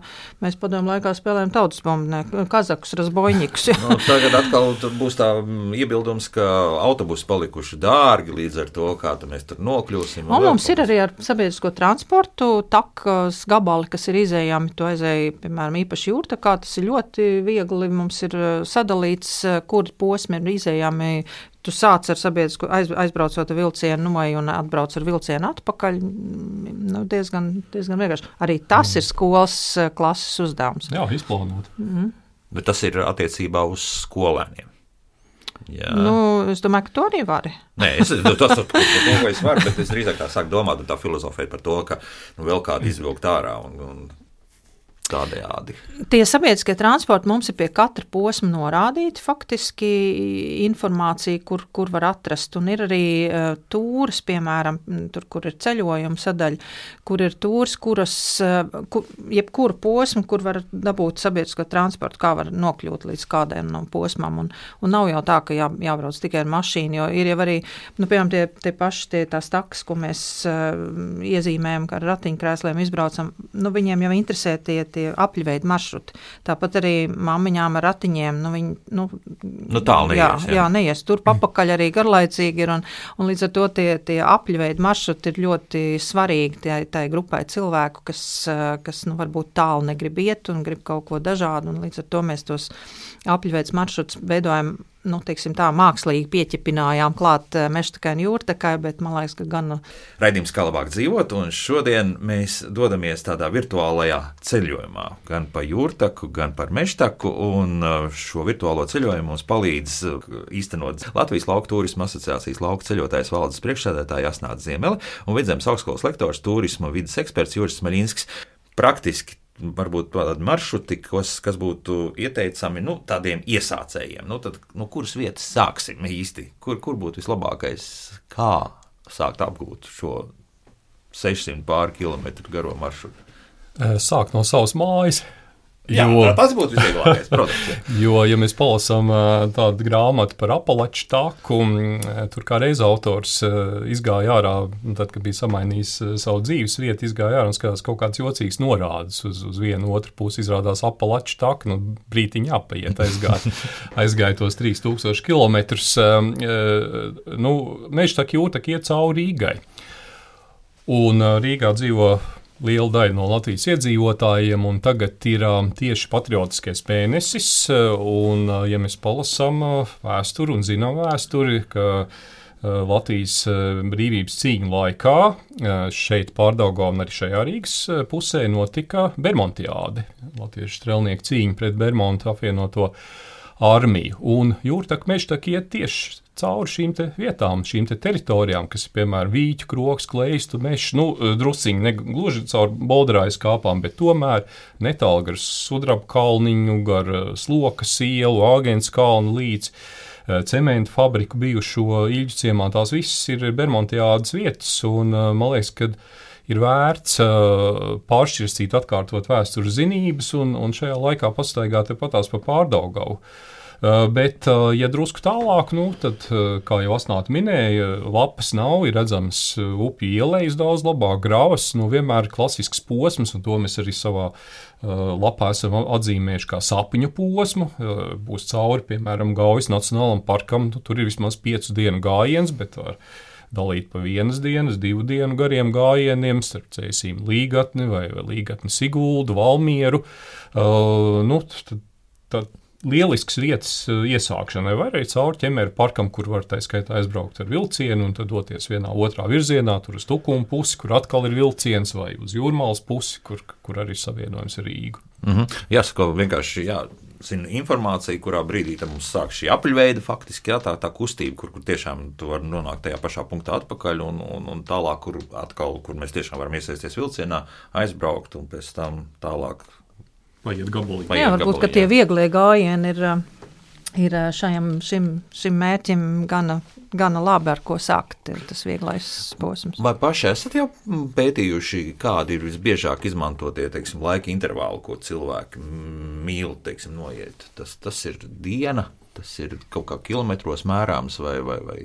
mēs padomu laikā spēlējam tautas bombnieku, kazakus, razbojņikus. Nu, tagad atkal būs tā iebildums, ka autobusi palikuši dārgi, līdz ar to, kā mēs tur nokļūsim. Un, un mums ir arī ar sabiedrisko transportu takas gabali, kas ir izējami, to aizēja, piemēram, īpaši jūrtakā, tas ir ļoti viegli, mums ir sadalīts, kuri posmi ir izējami. Tu sāc ar sabiedrisku, aiz, aizbraucot ar vilcienu numai un atbrauc ar vilcienu atpakaļ, nu, diezgan, diezgan vienkārši. Arī tas mm. ir skolas klases uzdevums. Jā, izplānot. Mm. Bet tas ir attiecībā uz skolēniem. Jā. Nu, es domāju, ka to arī vari. Nē, es, tas, tas, tas, to, ko es varu, bet es drīzāk tā sāku domāt un tā filozofēt par to, ka nu, vēl kādu izvilkt ārā un, un tādējādi. Tie sabiedriskie transporti mums ir pie katra posma norādīti faktiski informācija, kur, kur var atrast. Un ir arī uh, tūris, piemēram, tur, kur ir ceļojuma sadaļa, kur ir tūris, kuras, uh, kur, jebkuru posmu, kur var dabūt sabiedrisko transportu, kā var nokļūt līdz kādiem no posmām. Un, un nav jau tā, ka jā, jābrauc tikai ar mašīnu, jo ir jau arī, nu, piemēram, tie, tie paši tie tās takas, ko mēs uh, iezīmējam, kā ar ratiņkrēsliem izbraucam, nu, viņiem jau interesē tie, tie apļveida maršruti. Tāpat arī mammiņām ar ratiņiem, nu, viņi, nu, nu tālu neies. Jā, jā. jā, neies. Tur papakaļ arī garlaicīgi ir, un, un līdz ar to tie, tie apļveida maršruti ir ļoti svarīgi tai, tai grupai cilvēku, kas, kas nu, varbūt tālu negrib iet un grib kaut ko dažādu, un līdz ar to mēs tos apļveids maršrutus veidojam, nu, teiksim tā, mākslīgi pieķipinājām klāt Mežtakai un Jūrtakai, bet man liekas, ka gan... Raidījums Kā labāk dzīvot, un šodien mēs dodamies tādā virtuālajā ceļojumā, gan pa Jūrtaku, gan par Mežtaku, un šo virtuālo ceļojumu mums palīdz īstenot Latvijas Lauku turisma asociācijas lauku ceļotājs valdes priekšsēdētāja Asnāta Ziemele un Vidzemes augstskolas lektors turisma vides eksperts Juris Smaļinskis. Praktiski varbūt tādi maršruti, kas, kas būtu ieteicami nu, tādiem iesācējiem. Nu, tad, nu, kuras vietas sāksim īsti? Kur, kur būtu vislabākais, kā sākt apgūt šo sešsimt pāri kilometru garo maršrutu? Sākt no savas mājas. Jā, jo, tas būtu visvieglākais, protams. Jo, ja mēs palasām tādu grāmatu par Apalaču taku, tur kā reiz autors izgāja ārā, tad, kad bija samainījis savu dzīves vietu, izgāja ārā un skatās kaut kāds jocīgs norādes uz, uz vienu otru pusi, izrādās Apalaču taku, nu, brītiņi apaiet, aizgāja, aizgāja tos trīs tūkstoši kilometrus. Nu, Mežtaka Jūrtaka iet cauri Rīgai. Un Rīgā dzīvo liela daļa no Latvijas iedzīvotājiem, un tagad ir tieši patriotiskais mēnesis, un, ja mēs palasām vēsturi un zinām vēsturi, ka Latvijas brīvības cīņu laikā šeit Pārdaugavā un arī šajā Rīgas pusē notika Bermontiāde, latviešu strelnieku cīņa pret Bermontu apvienoto armiju, un Jūrtaka mežtaka iet tieši cauri šīm te vietām, šīm te teritorijām, kas ir, piemēram, Vīķu, Kroks, Kleistu, Mešs, nu, drusiņi, ne gluži caur Bolderājas kāpām, bet tomēr netālu gar Sudraba kalniņu, gar Slokas ielu, Āgens kalnu līdz cementu fabriku bijušo Ilģu ciemā, tās visas ir Bermontiādes vietas, un man liekas, ka ir vērts pāršķirstīt, atkārtot vēstures zinības, un, un šajā laikā pastaigāt patās pa Pārdaugavu. Bet, ja drusku tālāk, nu, tad, kā jau Asnāta minēja, lapas nav, ir redzams upju ielejas daudz labāk, gravas, nu, vienmēr klasisks posms, un to mēs arī savā lapā esam atzīmējuši kā sapņu posmu. Būs cauri, piemēram, Gaujas Nacionālam parkam, nu, tur ir vismaz piecu dienu gājiens, bet var dalīt pa vienas dienas, divu dienu gariem gājieniem, starp Cēsīm Līgatni vai, vai Līgatni Siguldu, Valmieru. Uh, nu, tad, tad lielisks vietas iesākšanai, vai arī cauri Ķemeru parkam, kur var tā skaitā aizbraukt ar vilcienu un tad doties vienā otrā virzienā, tur uz Tukumu pusi, kur atkal ir vilciens, vai uz Jūrmalas pusi, kur, kur arī savienojums ar Rīgu. Mm-hmm. Jāsaka, vienkārši jā, zinu, informācija, kurā brīdī mums sāk šī apaļveida faktiski, jā, tā, tā kustība, kur, kur tiešām tu vari nonākt tajā pašā punktā atpakaļ un, un, un tālāk, kur atkal, kur mēs tiešām varam iesaisties vilcienā, aizbraukt un pēc tam tālāk. Vai iet gabalī. Jā, varbūt, ka tie vieglie gājieni ir, ir šajam, šim, šim mērķim gana, gana labi, ar ko sākt, tas vieglais posms. Vai paši esat jau pētījuši, kādi ir visbiežāk izmantotie, teiksim, laika intervāli, ko cilvēki mīl, teiksim, noiet? Tas, tas ir diena, tas ir kaut kā kilometros mērāms vai, vai, vai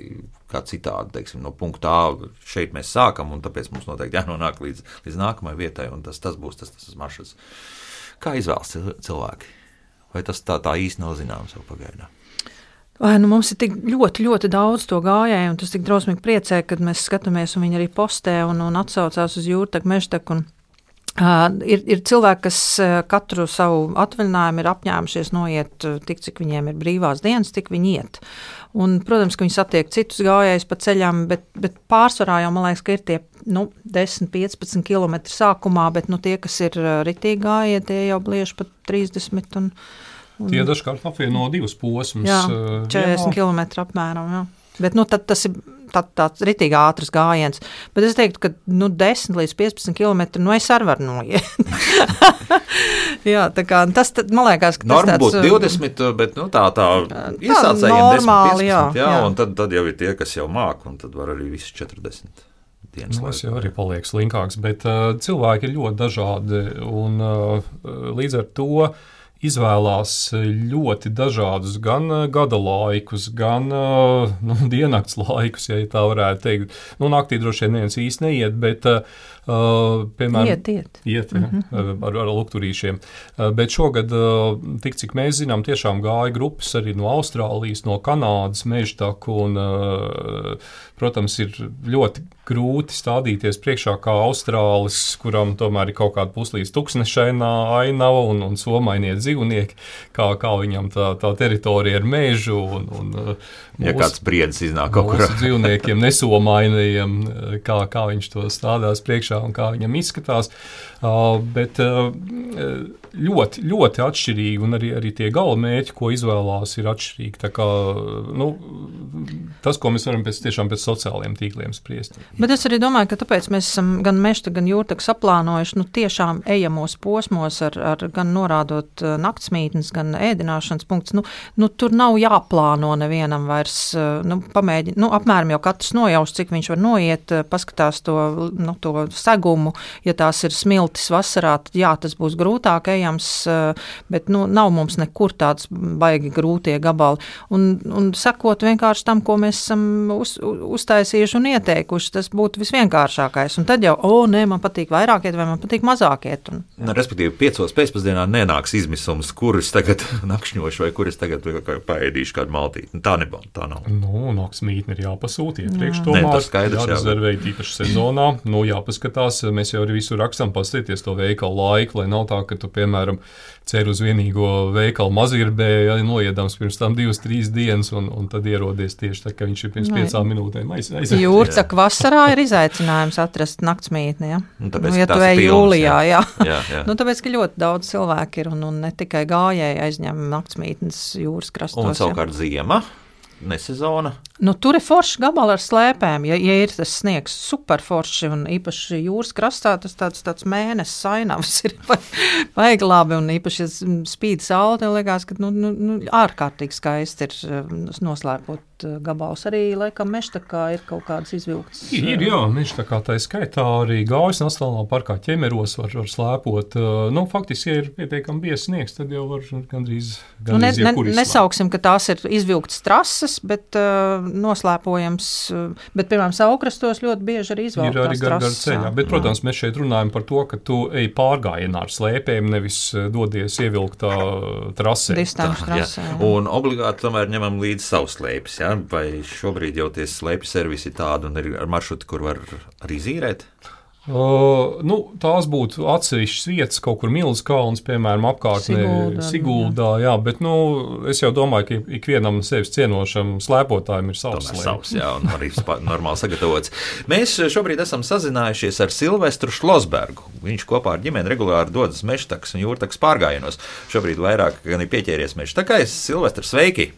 kā citādi, teiksim, no punkta A šeit mēs sākam, un tāpēc mums noteikti jānonāk līdz, līdz nākamai vietai, un tas, tas būs tas, tas maršruts. Kā izvēlas cilvēki? Vai tas tā, tā īsti nav zināms vēl pagaidām? Vai, nu, mums ir tik ļoti, ļoti daudz to gājēju, un tas tik drausmīgi priecē, kad mēs skatāmies, un viņi arī postē un, un atsaucās uz Jūrtaku, Mežtaku. Un, uh, ir, ir cilvēki, kas uh, katru savu atvaļinājumu ir apņēmušies noiet uh, tik, cik viņiem ir brīvās dienas, tik viņi iet. Un, protams, ka viņi satiek citus gājējus pa ceļam, bet, bet pārsvarā jau, man liekas, ka ir tie nu, desmit piecpadsmit kilometri sākumā, bet nu, tie, kas ir ritīgi gājēji, tie jau bliež pat trīsdesmit. Un, un, tie dažkārt apvieno divus posmus. Jā, četrdesmit kilometri apmēram, jā. Bet nu, tad, tas ir tā, tāds ritīgi ātrs gājiens. Bet es teiktu, ka nu, desmit līdz piecpadsmit kilometri, nu es arī varu noiet. Jā, tā kā tas, tad, man liekas, ka tas norma tāds... būtu divdesmit, bet nu, tā, tā iesācējiem desmit piecpadsmit, jā, jā, jā. Un tad, tad jau ir tie, kas jau māk, un tad var arī visi četrdesmit. Nu, tas jau arī paliek slinkāks, bet uh, cilvēki ir ļoti dažādi, un uh, līdz ar to izvēlās ļoti dažādus gan gada laikus, gan uh, nu, diennakts laikus, ja tā varētu teikt. Nu, naktī droši vien neviens īsti neiet, bet, uh, piemēram, iet, iet. iet ja, mm-hmm. ar, ar lukturīšiem. Uh, bet šogad, uh, tik cik mēs zinām, tiešām gāja grupas arī no Austrālijas, no Kanādas, Mežtaku, un, uh, protams, ir ļoti grūti stādīties priekšā kā austrālis, kuram tomēr ir kaut kāda puslīdz tuksnešainā ainava un, un somainie dzīvnieki, kā, kā viņam tā, tā teritorija ar mežu. Un, un, ja mūsu, kāds briedis iznāk kaut kur. Mūsu dzīvniekiem nesomainajiem, kā, kā viņš to stādās priekšā un kā viņam izskatās. Uh, bet uh, ļoti, ļoti atšķirīgi, un arī, arī tie galamērķi, ko izvēlās, ir atšķirīgi. Tā kā, nu, tas, ko mēs varam pēc, tiešām pēc sociālajiem tīkliem spriest. Bet es arī domāju, ka tāpēc mēs esam gan Mežta, gan Jūrtaku saplānojuši nu, tiešām ejamos posmos, ar, ar gan norādot naktsmītnes, gan ēdināšanas punktus. Nu, nu, tur nav jāplāno nevienam vairs, nu, pamēģi, nu, apmēram jau katrs nojaus, cik viņš var noiet, paskatās to, nu, to segumu, ja tās ir smilšu smiltis vasarā, tad jā, tas būs grūtāk ejams, bet nu, nav mums nekur tāds baigi grūtie gabali. Un, un sakot vienkārši tam, ko mēs esam uz, uztaisījuši un ieteikuši, tas būtu visvienkāršākais. Un tad jau, o, nē, man patīk vairāk iet vai man patīk mazāk iet. Un, nu, respektīvi, piecos pēcpusdienā nenāks izmisums, kurus tagad nakšņošu vai kurus tagad paēdīšu kādu maltīti. Tā nebūtu, tā nav. Nu, naktsmītni ir jāpasūt iepriekš tomēr. tomēr. Ne, tas skaidrs, jārezervē īpaši sezonā. Nu, jāpaskatās, mēs jau arī visu rakstam pastīties to veikalu laiku, lai nav tā, ka tu, piemēram, cer uz vienīgo veikalu mazirbē, ja, noiedams pirms tam divas, trīs dienas, un, un tad ierodies tieši tā, ka viņš ir pirms piecām minūtēm aiziet. Jūrcaka vasarā ir izaicinājums atrast naktsmītni, ja? Nu, tāpēc, nu, ja tu ej jūlijā, jā. jā. jā, jā. Nu, tāpēc, ka ļoti daudz cilvēku ir, un, un ne tikai gājēji aizņem naktsmītnes jūras krastos. Un savukārt ziema? Nesezona. Nu, tur ir forši gabali ar slēpēm. Ja, ja ir tas sniegs super forši un īpaši jūras krastā, tas tāds, tāds mēnesis ainavs ir baigi labi un īpaši spīd saule, tev liekas, ka nu, nu, ārkārtīgi skaisti ir noslēpot gabals. Arī, laikam, Meštakā ir kaut kādas izvilktas. Ir, jā, Meštakā tā skaitā arī Gaujas Nacionālā parkā ķemeros var, var slēpot. Nu, faktiski, ja ir pietiekami biezs sniegs, tad jau var gandrīz, gandrīz nu, ne, jebkur ne, nesauksim, ka tās ir izvilktas trases, bet uh, noslēpojams, bet, piemēram, Saukrastos ļoti bieži arī izvēlētās trases. Ir arī gar, gar ceļā, bet, protams, mēs šeit runājam par to, ka tu ej pārgājienā ar slēpēm, nevis dodies ievilktā trasē. Distanču trasē. Jā. Un obligāti tomēr ņemam līdzi savus slēpes, jā? Vai šobrīd jau tie slēpju servisi tādi un ir ar maršrutu, kur var arī zīrēt? Uh, nu, tās būtu atsevišķas vietas, kaut kur Milzas kalns, piemēram, apkārtnē Siguldā, Siguldā, jā, bet, nu, es jau domāju, ka ikvienam sevis cienošam slēpotājiem ir savs slēpes. Savs, jā, un arī normāli sagatavots. Mēs šobrīd esam sazinājušies ar Silvestru Šlosbergu. Viņš kopā ar ģimeni regulāri dodas Meštakas un Jūrtakas pārgājienos. Šobrīd vairāk gan ir pieķēries Meštakai. Silvestr, sveiki!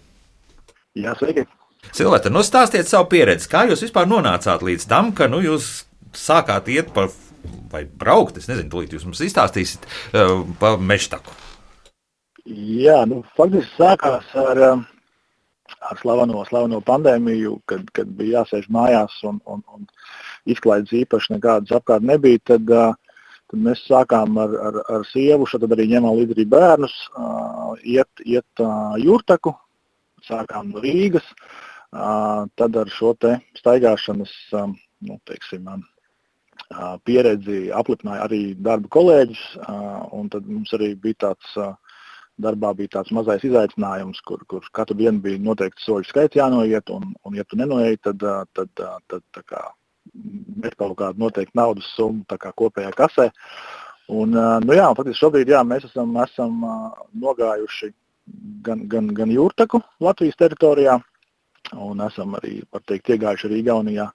Jā, sveiki! Silvestr, nu stāstiet savu pieredzi. Kā jūs vispār nonācāt līdz tam, ka, nu, jūs sākāt iet pa, vai braukt, es nezinu, tūlīt jūs mums izstāstīsiet uh, pa Meštaku. Jā, nu, faktiski sākās ar, ar slaveno, slaveno pandēmiju, kad, kad bija jāsēž mājās un, un, un izklaides īpaši nekādas apkārt nebija, tad, uh, tad mēs sākām ar, ar, ar sievu, tad arī ņemām līdzi arī bērnus, uh, iet, iet uh, Jūrtaku, sākām no Rīgas, uh, tad ar šo te staigāšanas, um, nu, teiksim, um, pieredzi aplipināja arī darba kolēģis, un tad mums arī bija tāds, darbā bija tāds mazais izaicinājums, kur, kur katru dienu bija noteikti soļu skaits jānoiet, un, un ja tu nenoeji, tad, tad, tad, tad tā kā met kaut kādu noteikti naudas summu tā kā kopējā kasē. Un, nu jā, faktiski šobrīd, jā, mēs esam, esam nogājuši gan, gan, gan Jūrtaku Latvijas teritorijā, un esam arī, var teikt, iegājuši arī Igaunijā,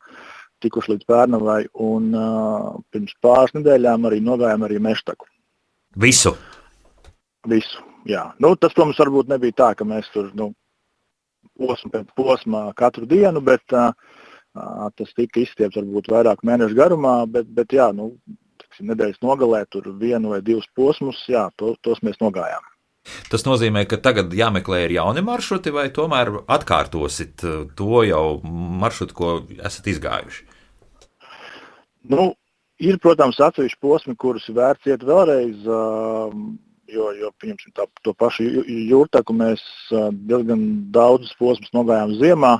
tikuši līdz Pērnavai, un uh, pirms pāris nedēļām arī nogājām arī Meštaku. Visu? Visu, jā. Nu, tas, protams, varbūt nebija tā, ka mēs tur, nu, posmu pēc posmā katru dienu, bet uh, tas tika izstiepts varbūt vairāk mēnešu garumā, bet, bet jā, nu, tiksim, nedēļas nogalē tur vienu vai divus posmus, jā, to, tos mēs nogājām. Tas nozīmē, ka tagad jāmeklē ir jauni maršruti, vai tomēr atkārtosit to jau maršrutu, ko esat izgājuši? Nu, ir, protams, atsevišķi posmi, kurus vērts iet vēlreiz, jo, jo pieņemsim tā, to pašu Jūrtaku mēs diezgan daudzus posmus nogājām ziemā,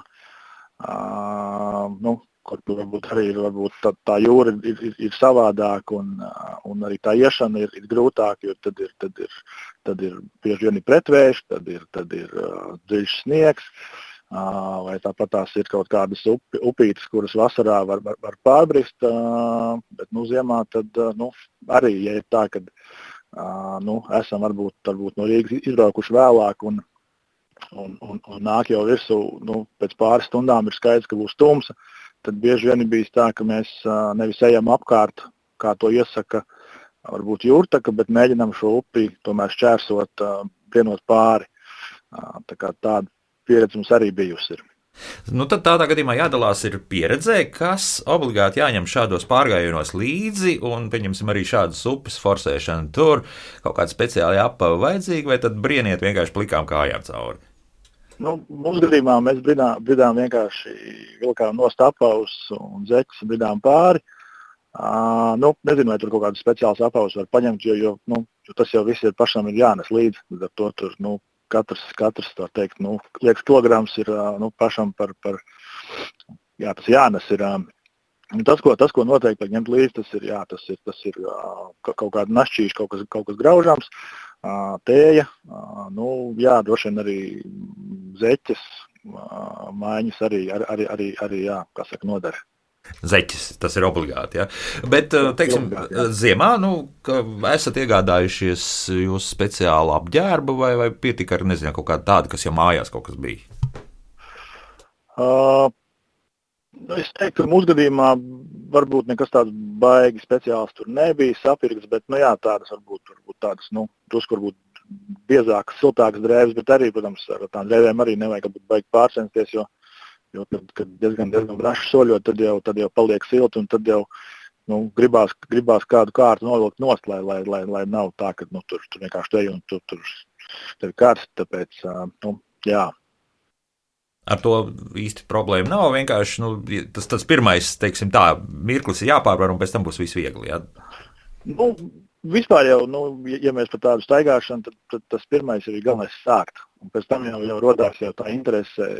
nu, kur varbūt arī ir, varbūt tā, tā jūra ir, ir, ir savādāk un, un arī tā iešana ir, ir grūtāk, jo tad ir, tad ir, tad ir bieži vien ir pretvējš, tad ir, tad ir uh, dziļš sniegs, uh, vai tāpat tās ir kaut kādas upi, upītes, kuras vasarā var, var, var pārbrist, uh, bet nu, ziemā tad uh, nu, arī, ja ir tā, kad uh, nu, esam varbūt, varbūt no Rīgas izbraukuši vēlāk un, un, un, un nāk jau virsū, nu, pēc pāris stundām ir skaidrs, ka būs tumsa, tad bieži vien ir bijis tā, ka mēs uh, nevis ejam apkārt, kā to iesaka varbūt Jūrtaka, bet mēģinām šo upi tomēr šķērsot, uh, vienot pāri. Uh, tā kā tāda pieredze mums arī bijusi ir. Nu, tad tādā gadījumā jādalās ir pieredzē, kas obligāti jāņem šādos pārgājienos līdzi, un pieņemsim arī šādas upes forsēšanu tur, kaut kāda speciāla apava vajadzīga, vai tad brieniet vienkārši plikām kājām cauri? Nu, mums gadījumā mēs bridām, bridām vienkārši vilkām nost apavus un zeķus bridām pāri. Uh, nu, nezinu, vai tur kaut kādas speciālas apavas var paņemt, jo, jo, nu, jo tas jau viss ir pašam ir jānes līdzi. Ar to tur, nu, katrs, katrs tā teikt, nu, liekas kilograms ir uh, nu, pašam par, par, jā, tas jānes ir. Uh, tas, ko, tas, ko noteikti ņemt līdzi, tas ir, jā, tas ir, tas ir uh, kaut kāda našķīša, kaut kas, kaut kas graužams, uh, tēja, uh, nu, jā, droši vien arī zeķes, uh, mājiņas arī, arī, arī, arī, jā, kā saka, nodara. Zeķis, tas ir obligāti. Ja? Bet, teiksim, obligāti, ziemā, nu, esat iegādājušies jūsu speciālu apģērbu vai, vai pietika ar, nezinu, kaut kādu tādu, kas jau mājās kaut kas bija? Uh, es teiktu, ka mūsu gadījumā varbūt nekas tāds baigi speciāls tur nebija sapirkts, bet, nu jā, tādas varbūt, varbūt tādas, nu, drusku varbūt biezākas, siltākas drēbes, bet arī, protams, ar tām drēbēm arī nevajag baigi pārcensties, jo Jo, kad, kad diezgan, diezgan braši soļot, tad jau, tad jau paliek silti un tad jau nu, gribās, gribās kādu kārtu novilkt nost, lai, lai, lai, lai nav tā, ka nu, tur, tur vienkārši te un tur, tur, tur ir karsti. Tāpēc, nu, jā. Ar to īsti problēma nav. Vienkārši nu, tas, tas pirmais, teiksim tā, mirklis ir jāpārvar un pēc tam būs viss viegli. Jā? Nu, vispār jau, nu, ja mēs par tādu staigāšanu, tad, tad tas pirmais ir galvenais sākt. Un pēc tam jau, jau rodās jau tā interese.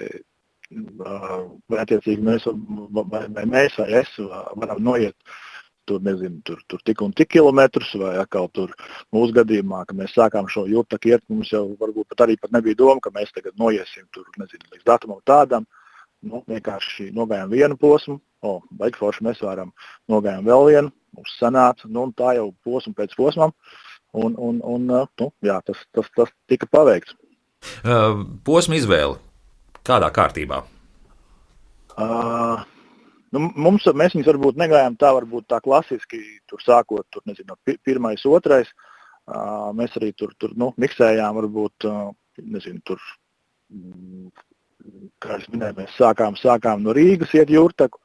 Vai attiecīgi mēs vai, vai mēs vai es varam noiet tur, nezinu, tur, tur tik un tik kilometrus, vai atkal tur mūsu gadījumā, ka mēs sākām šo jūrtaku iet, mums jau varbūt pat arī pat nebija doma, ka mēs tagad noiesim tur, nezinu, līdz datumam tādam, nu, vienkārši nogājām vienu posmu, o, baigi forši mēs varam, nogājām vēl vienu, mums sanāca, nu, un tā jau posmu pēc posmam, un, un, un nu, jā, tas, tas, tas tika paveikts. Uh, posma izvēle. Kādā kārtībā? Uh, nu, mums, mēs viņus varbūt negājām tā, varbūt tā klasiski, tur sākot, tur, nezinu, pirmais, otrais. Uh, mēs arī tur, tur nu, miksējām, varbūt, uh, nezinu, tur, kā es minēju, mēs sākām, sākām no Rīgas iet jūrtaku,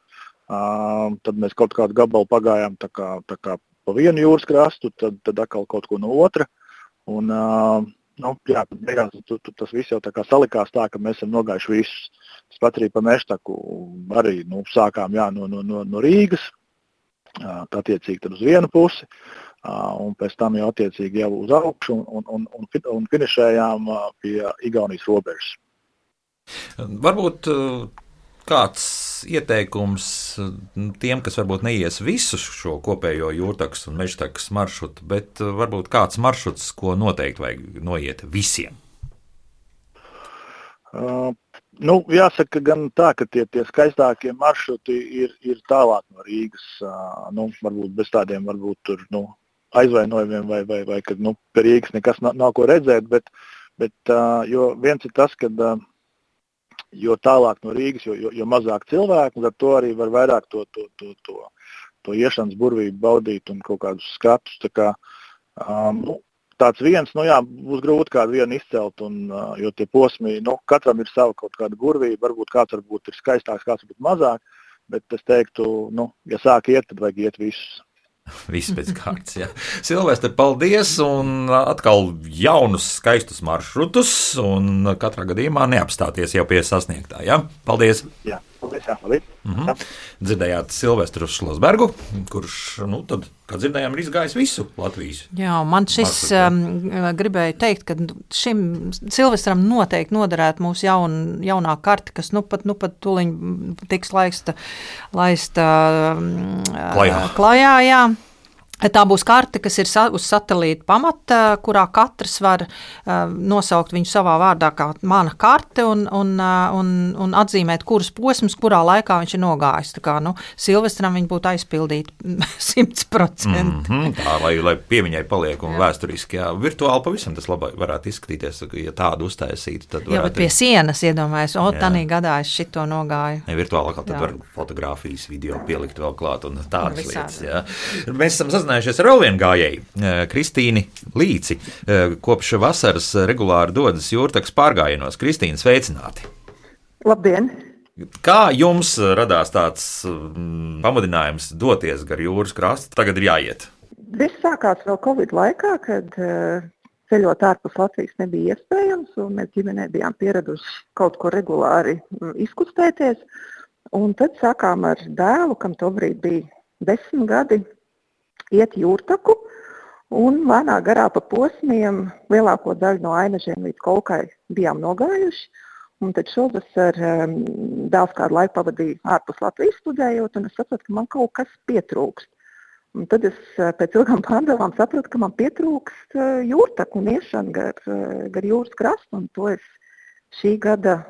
uh, tad mēs kaut kādu gabalu pagājām tā kā, tā kā pa vienu jūras krastu, tad, tad atkal kaut ko no otra. Un, uh, Nu, jā, beigās tu, tu, tas viss jau tā kā salikās tā, ka mēs esam nogājuši visus. Tas pat arī pa Meštaku arī nu, sākām jā, no, no, no Rīgas, tā attiecīgi tad uz vienu pusi, un pēc tam jau attiecīgi jau uz augšu un, un, un, un finišējām pie Igaunijas robežas. Varbūt kāds ieteikums tiem, kas varbūt neies visu šo kopējo jūrtakas un mežtakas maršrutu, bet varbūt kāds maršruts, ko noteikti vajag noiet visiem? Uh, nu, jāsaka gan tā, ka tie, tie skaistākie maršruti ir, ir tālāk no Rīgas, uh, nu, varbūt bez tādiem varbūt tur, nu, aizvainojumiem vai, vai, vai kad nu, pie Rīgas nekas nav, nav ko redzēt, bet, bet uh, jo viens ir tas, kad uh, jo tālāk no Rīgas, jo, jo, jo mazāk cilvēku, ar to arī var vairāk to, to, to, to, to iešanas burvību baudīt un kaut kādus skatus. Tā kā, um, nu, tāds viens, nu jā, būs grūti kādu vienu izcelt, un, uh, jo tie posmi, nu, katram ir sava kaut kāda burvība, varbūt kāds varbūt ir skaistāks, kāds varbūt mazāk, bet es teiktu, nu, ja sāk iet, tad vajag iet visus. Viss pēc kārtas, jā. Silvestri, paldies, un atkal jaunus, skaistus maršrutus, un katrā gadījumā neapstāties jau pie sasniegtā, jā? Paldies! Jā, paldies, jā, paldies! Mm-hmm. Dzirdējāt Silvestru Šlosbergu, kurš, nu, tad, kā dzirdējām, ir izgājis visu Latvijas. Jā, man šis um, gribēja teikt, ka šim Silvestram noteikti noderētu mūsu jaun, jaunā karte, kas nu pat, nu pat tuliņ tiks laista, laista um, klajā. klajā, jā. Tā būs karte, kas ir uz satelīta pamata, kurā katrs var uh, nosaukt viņu savā vārdā kā mana karte un, un, uh, un, un atzīmēt, kuras posms, kurā laikā viņš ir nogājis. Tā kā, nu, Silvestram viņi būtu aizpildīti simt procenti. Mm-hmm, tā, lai, lai piemiņai paliek un jā. Vēsturiski, jā, virtuāli pavisam tas labai varētu izskatīties, ja tādu uztaisītu, tad varētu... Jā, bet pie sienas iedomājas, o, tanī gadā es šito nogāju. Ja, virtuāli atkal tad jā. Var fotogrāfijas, video pielikt vēl klāt un tādas lietas, jā. Mēs esam sazinājušies ar vēl vienu gājēju, Kristīni Līci, kopš vasaras regulāri dodas jūrtakas pārgājienos. Kristīna, sveicināti! Labdien! Kā jums radās tāds mm, pamudinājums doties gar jūras krastu? Tagad ir jāiet. Viss sākās vēl Covid laikā, kad uh, ceļot ārpus Latvijas nebija iespējams, un mēs ģimenē bijām pieraduši kaut ko regulāri um, izkustēties. Un tad sākām ar dēlu, kam tobrīd bija desmit gadi iet jūrtaku un lēnā garā pa posmiem lielāko daļu no Ainažiem līdz Kolkai bijām nogājuši. Un tad šovasar um, dēls kādu laiku pavadīja ārpus Latvijas studējot, un es sapratu, ka man kaut kas pietrūkst. Un tad es pēc ilgām pārdomām sapratu, ka man pietrūkst uh, jūrtaku un iešana gar, uh, gar jūras krastu, un to es šī gada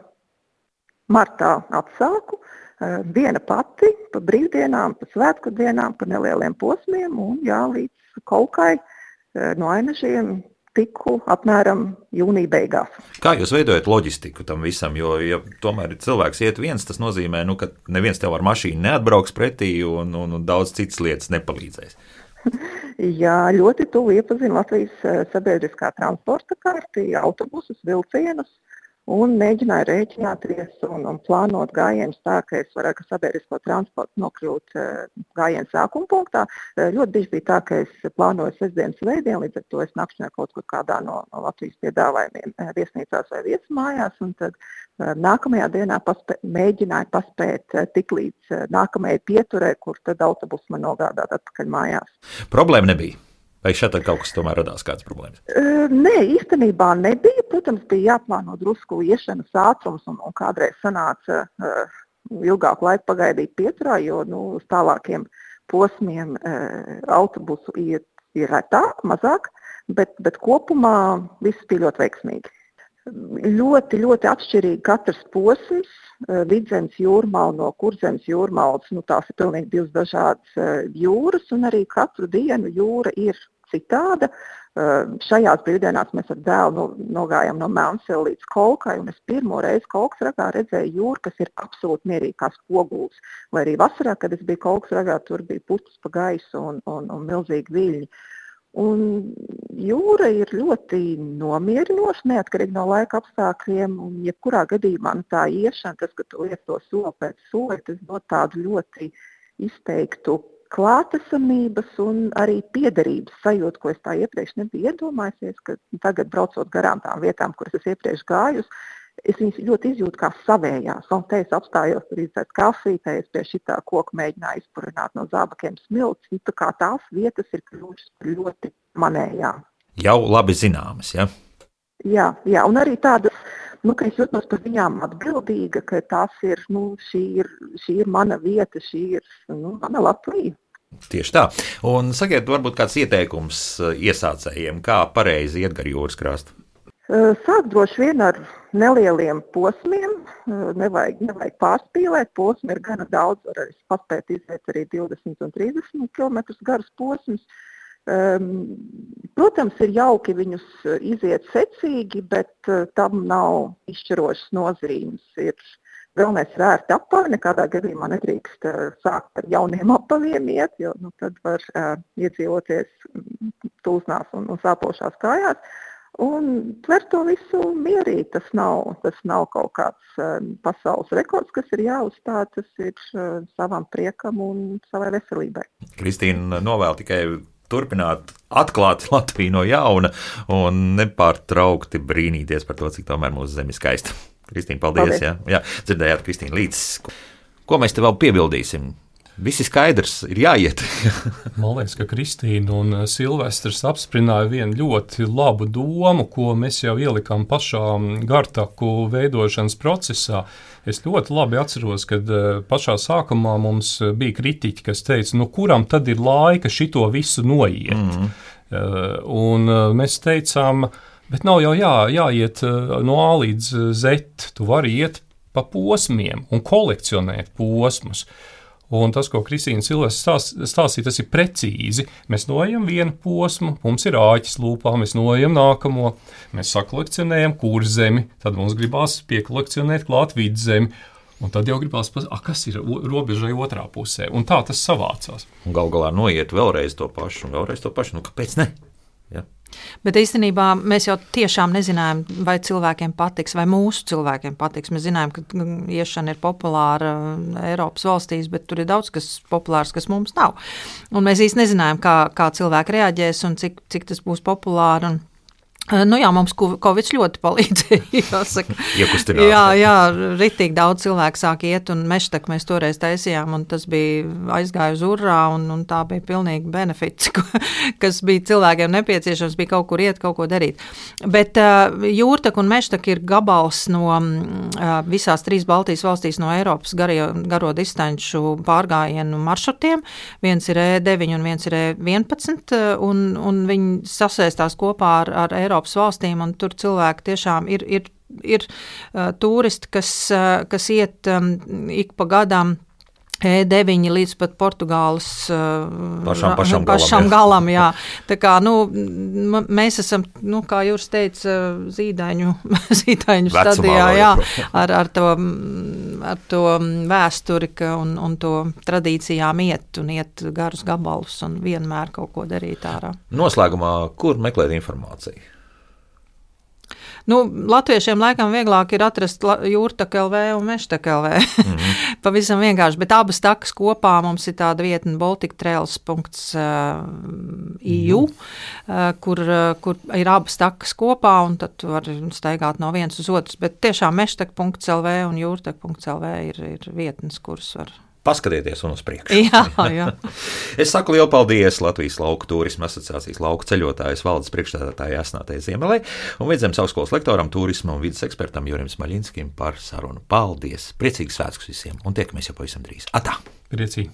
martā atsāku. Uh, viena pati, pa brīvdienām, pa svētku dienām, pa nelieliem posmiem, un jā, līdz Kolkai uh, no Ainažiem tiku apmēram jūnija beigās. Kā jūs veidojat loģistiku tam visam? Jo, ja tomēr cilvēks iet viens, tas nozīmē, nu, ka neviens tev ar mašīnu neatbrauks pretī un, un, un daudz citas lietas nepalīdzēs. Jā, ļoti tuvu iepazinu Latvijas sabiedriskā transporta karti, autobusus, vilcienus un mēģināju rēķināties un, un plānot gājienus tā, ka es varētu sabiedrisko transportu nokļūt gājienu sākuma punktā. Ļoti bieži bija tā, ka es plānoju sestdienas svētdienu, līdz ar to es nakšņoju kaut kur kādā no, no Latvijas piedāvājumiem viesnīcās vai viesmājās, un tad nākamajā dienā paspē, mēģināju paspēt tik līdz nākamajai pieturē, kur tad autobus man nogādāt atpakaļ mājās. Problēma nebija. Vai šeit kaut kas tomēr radās kādas problēmas? Uh, nē, īstenībā nebija. Protams, bija jāplāno drusku iešanas ātrums un, un kādreiz sanāca uh, ilgāku laiku pagaidīt pieturā, jo nu, uz tālākiem posmiem uh, autobusu iet ir retāk, mazāk, bet, bet kopumā viss bija ļoti veiksmīgi. Ļoti, ļoti atšķirīgi katrs posms, uh, Vidzemes jūrmala no Kurzemes jūrmalas, nu tās ir pilnīgi divas dažādas uh, jūras, un arī katru dienu jūra ir citāda. Uh, šajās brīvdienās mēs ar dēlu no, nogājām no Melnsela līdz Kolkai, un es pirmo reizi Kolkas ragā redzēju jūru, kas ir absolūti mierīgi kā spogulis. Vai arī vasarā, kad es biju Kolkas ragā, tur bija putas pa gaisu un, un, un milzīgi viļņi. Un jūra ir ļoti nomierinoša, neatkarīgi no laika apstākļiem, un jebkurā gadījumā nu, tā iešana, tas, ka tu liec to soli pēc soli, tas dod tādu ļoti izteiktu klātesamības un arī piederības sajūtu, ko es tā iepriekš nebiju iedomājusies, ka tagad braucot garām tām vietām, kuras es iepriekš gājus, es viņus ļoti izjūtu kā savējās. Un te es apstājos tur izdzert kafiju, te es pie šitā koka mēģināju izpurināt no zābakiem smilts. Tā kā tās vietas ir kļuvušas ļoti manējām. Jau labi zināmas, ja? Jā, jā, un arī tādas, nu, ka es jūtos par viņām atbildīga, ka tās ir, nu, šī ir, šī ir mana vieta, šī ir, nu, mana Latvija. Tieši tā. Un sakiet, varbūt kāds ieteikums iesācējiem, kā pareizi iet gar jūras krastu? Sāk droši vien ar nelieliem posmiem, nevajag, nevajag pārspīlēt, posmi ir gana daudz, var arī paspēt iziet arī divdesmit un trīsdesmit kilometrus garus posmus. Protams, ir jauki viņus iziet secīgi, bet tam nav izšķirošas nozīmes. Ir galvenais ir ērti apavi, nekādā gadījumā nedrīkst sākt ar jauniem apaviem iet, jo nu, tad var uh, iedzīvoties tūsnās un, un sāpošās kājās. Un tver to visu mierīgi, tas nav, tas nav kaut kāds uh, pasaules rekords, kas ir jāuzstāj, tas ir uh, savam priekam un savai veselībai. Kristīna novēl tikai turpināt atklāt Latviju no jauna un nepārtraukti brīnīties par to, cik tomēr mūsu zeme ir skaista. Kristīna, paldies. paldies. Jā, jā, dzirdējāt Kristīna līdz. Ko mēs te vēl piebildīsim? Visi skaidrs, ir jāiet. Man liekas, ka Kristīna un Silvestrs apsprināja vienu ļoti labu domu, ko mēs jau ielikām pašā gartaku veidošanas procesā. Es ļoti labi atceros, kad pašā sākumā mums bija kritiķi, kas teica, nu kuram tad ir laika šito visu noiet. Mm. Un mēs teicām, bet nav jau jā, jāiet no A līdz Z, tu vari iet pa posmiem un kolekcionēt posmus. Un tas, ko Kristīna Silvestrs stāstīja, tas ir precīzi. Mēs noejam vienu posmu, mums ir āķis lūpā, mēs noejam nākamo, mēs sakolekcionējam Kurzemi, tad mums gribās piekolekcionēt klāt Vidzemi, un tad jau gribās, a, kas ir robežai otrā pusē, un tā tas savācās. Un gal galā noiet vēlreiz to pašu, un vēlreiz to pašu, nu kāpēc ne? Ja. Bet īstenībā mēs jau tiešām nezinājām, vai cilvēkiem patiks, vai mūsu cilvēkiem patiks. Mēs zinājām, ka iešana ir populāra Eiropas valstīs, bet tur ir daudz kas populārs, kas mums nav. Un mēs īsti nezinājām, kā, kā cilvēki reaģēs un cik, cik tas būs populāri. Un Nu jā, mums Covid ļoti palīdzēja, jāsaka. Iekustināt. Jā, jā, ritīgi daudz cilvēku sāk iet, un meštaku mēs toreiz taisījām, un tas bija aizgāja uz urrā, un, un tā bija pilnīgi benefits, kas bija cilvēkiem nepieciešams, bija kaut kur iet, kaut ko darīt. Bet uh, jūrtak un meštak ir gabals no uh, visās trīs Baltijas valstīs no Eiropas gario, garo distanču pārgājienu maršrutiem. Viens ir E deviņi un viens ir E vienpadsmit, un, un viņi sasēstās kopā ar, ar Eiropas valstīm, un tur cilvēki tiešām ir, ir, ir uh, turisti, kas, uh, kas iet um, ik pa gadam E deviņi līdz pat Portugāles uh, pašam, pašam, pašam galam. galam, jā. Tā kā, nu, mēs esam, nu, kā Jūras teica, zīdaiņu, zīdaiņu stadijā, jā, ar, ar, to, ar to vēsturi un, un to tradīcijām iet un iet garus gabalus un vienmēr kaut ko darīt ārā. Noslēgumā, kur meklēt informāciju? Nu, latviešiem laikam vieglāk ir atrast jūrtak L V un meštak L V. Mm-hmm. Pavisam vienkārši, bet abas takas kopā mums ir tāda vietne baltic trails dot I U, mm-hmm. kur, kur ir abas takas kopā, un tad var staigāt no vienas uz otras. Bet tiešām meštak dot L V un jūrtak dot L V ir, ir vietnes, kuras var... Paskatieties un uz priekšu. Jā, jā. Es saku lielu paldies Latvijas Lauku turisma asociācijas lauku ceļotājas valdes priekšstādātājai Asnātei Ziemelei un Vidzemes augstskolas lektoram, turisma un vides ekspertam Jurim Smaļinskim par sarunu. Paldies! Priecīgs svētkus visiem un tiekamies jau pavisam drīz. Atā! Priecīgi!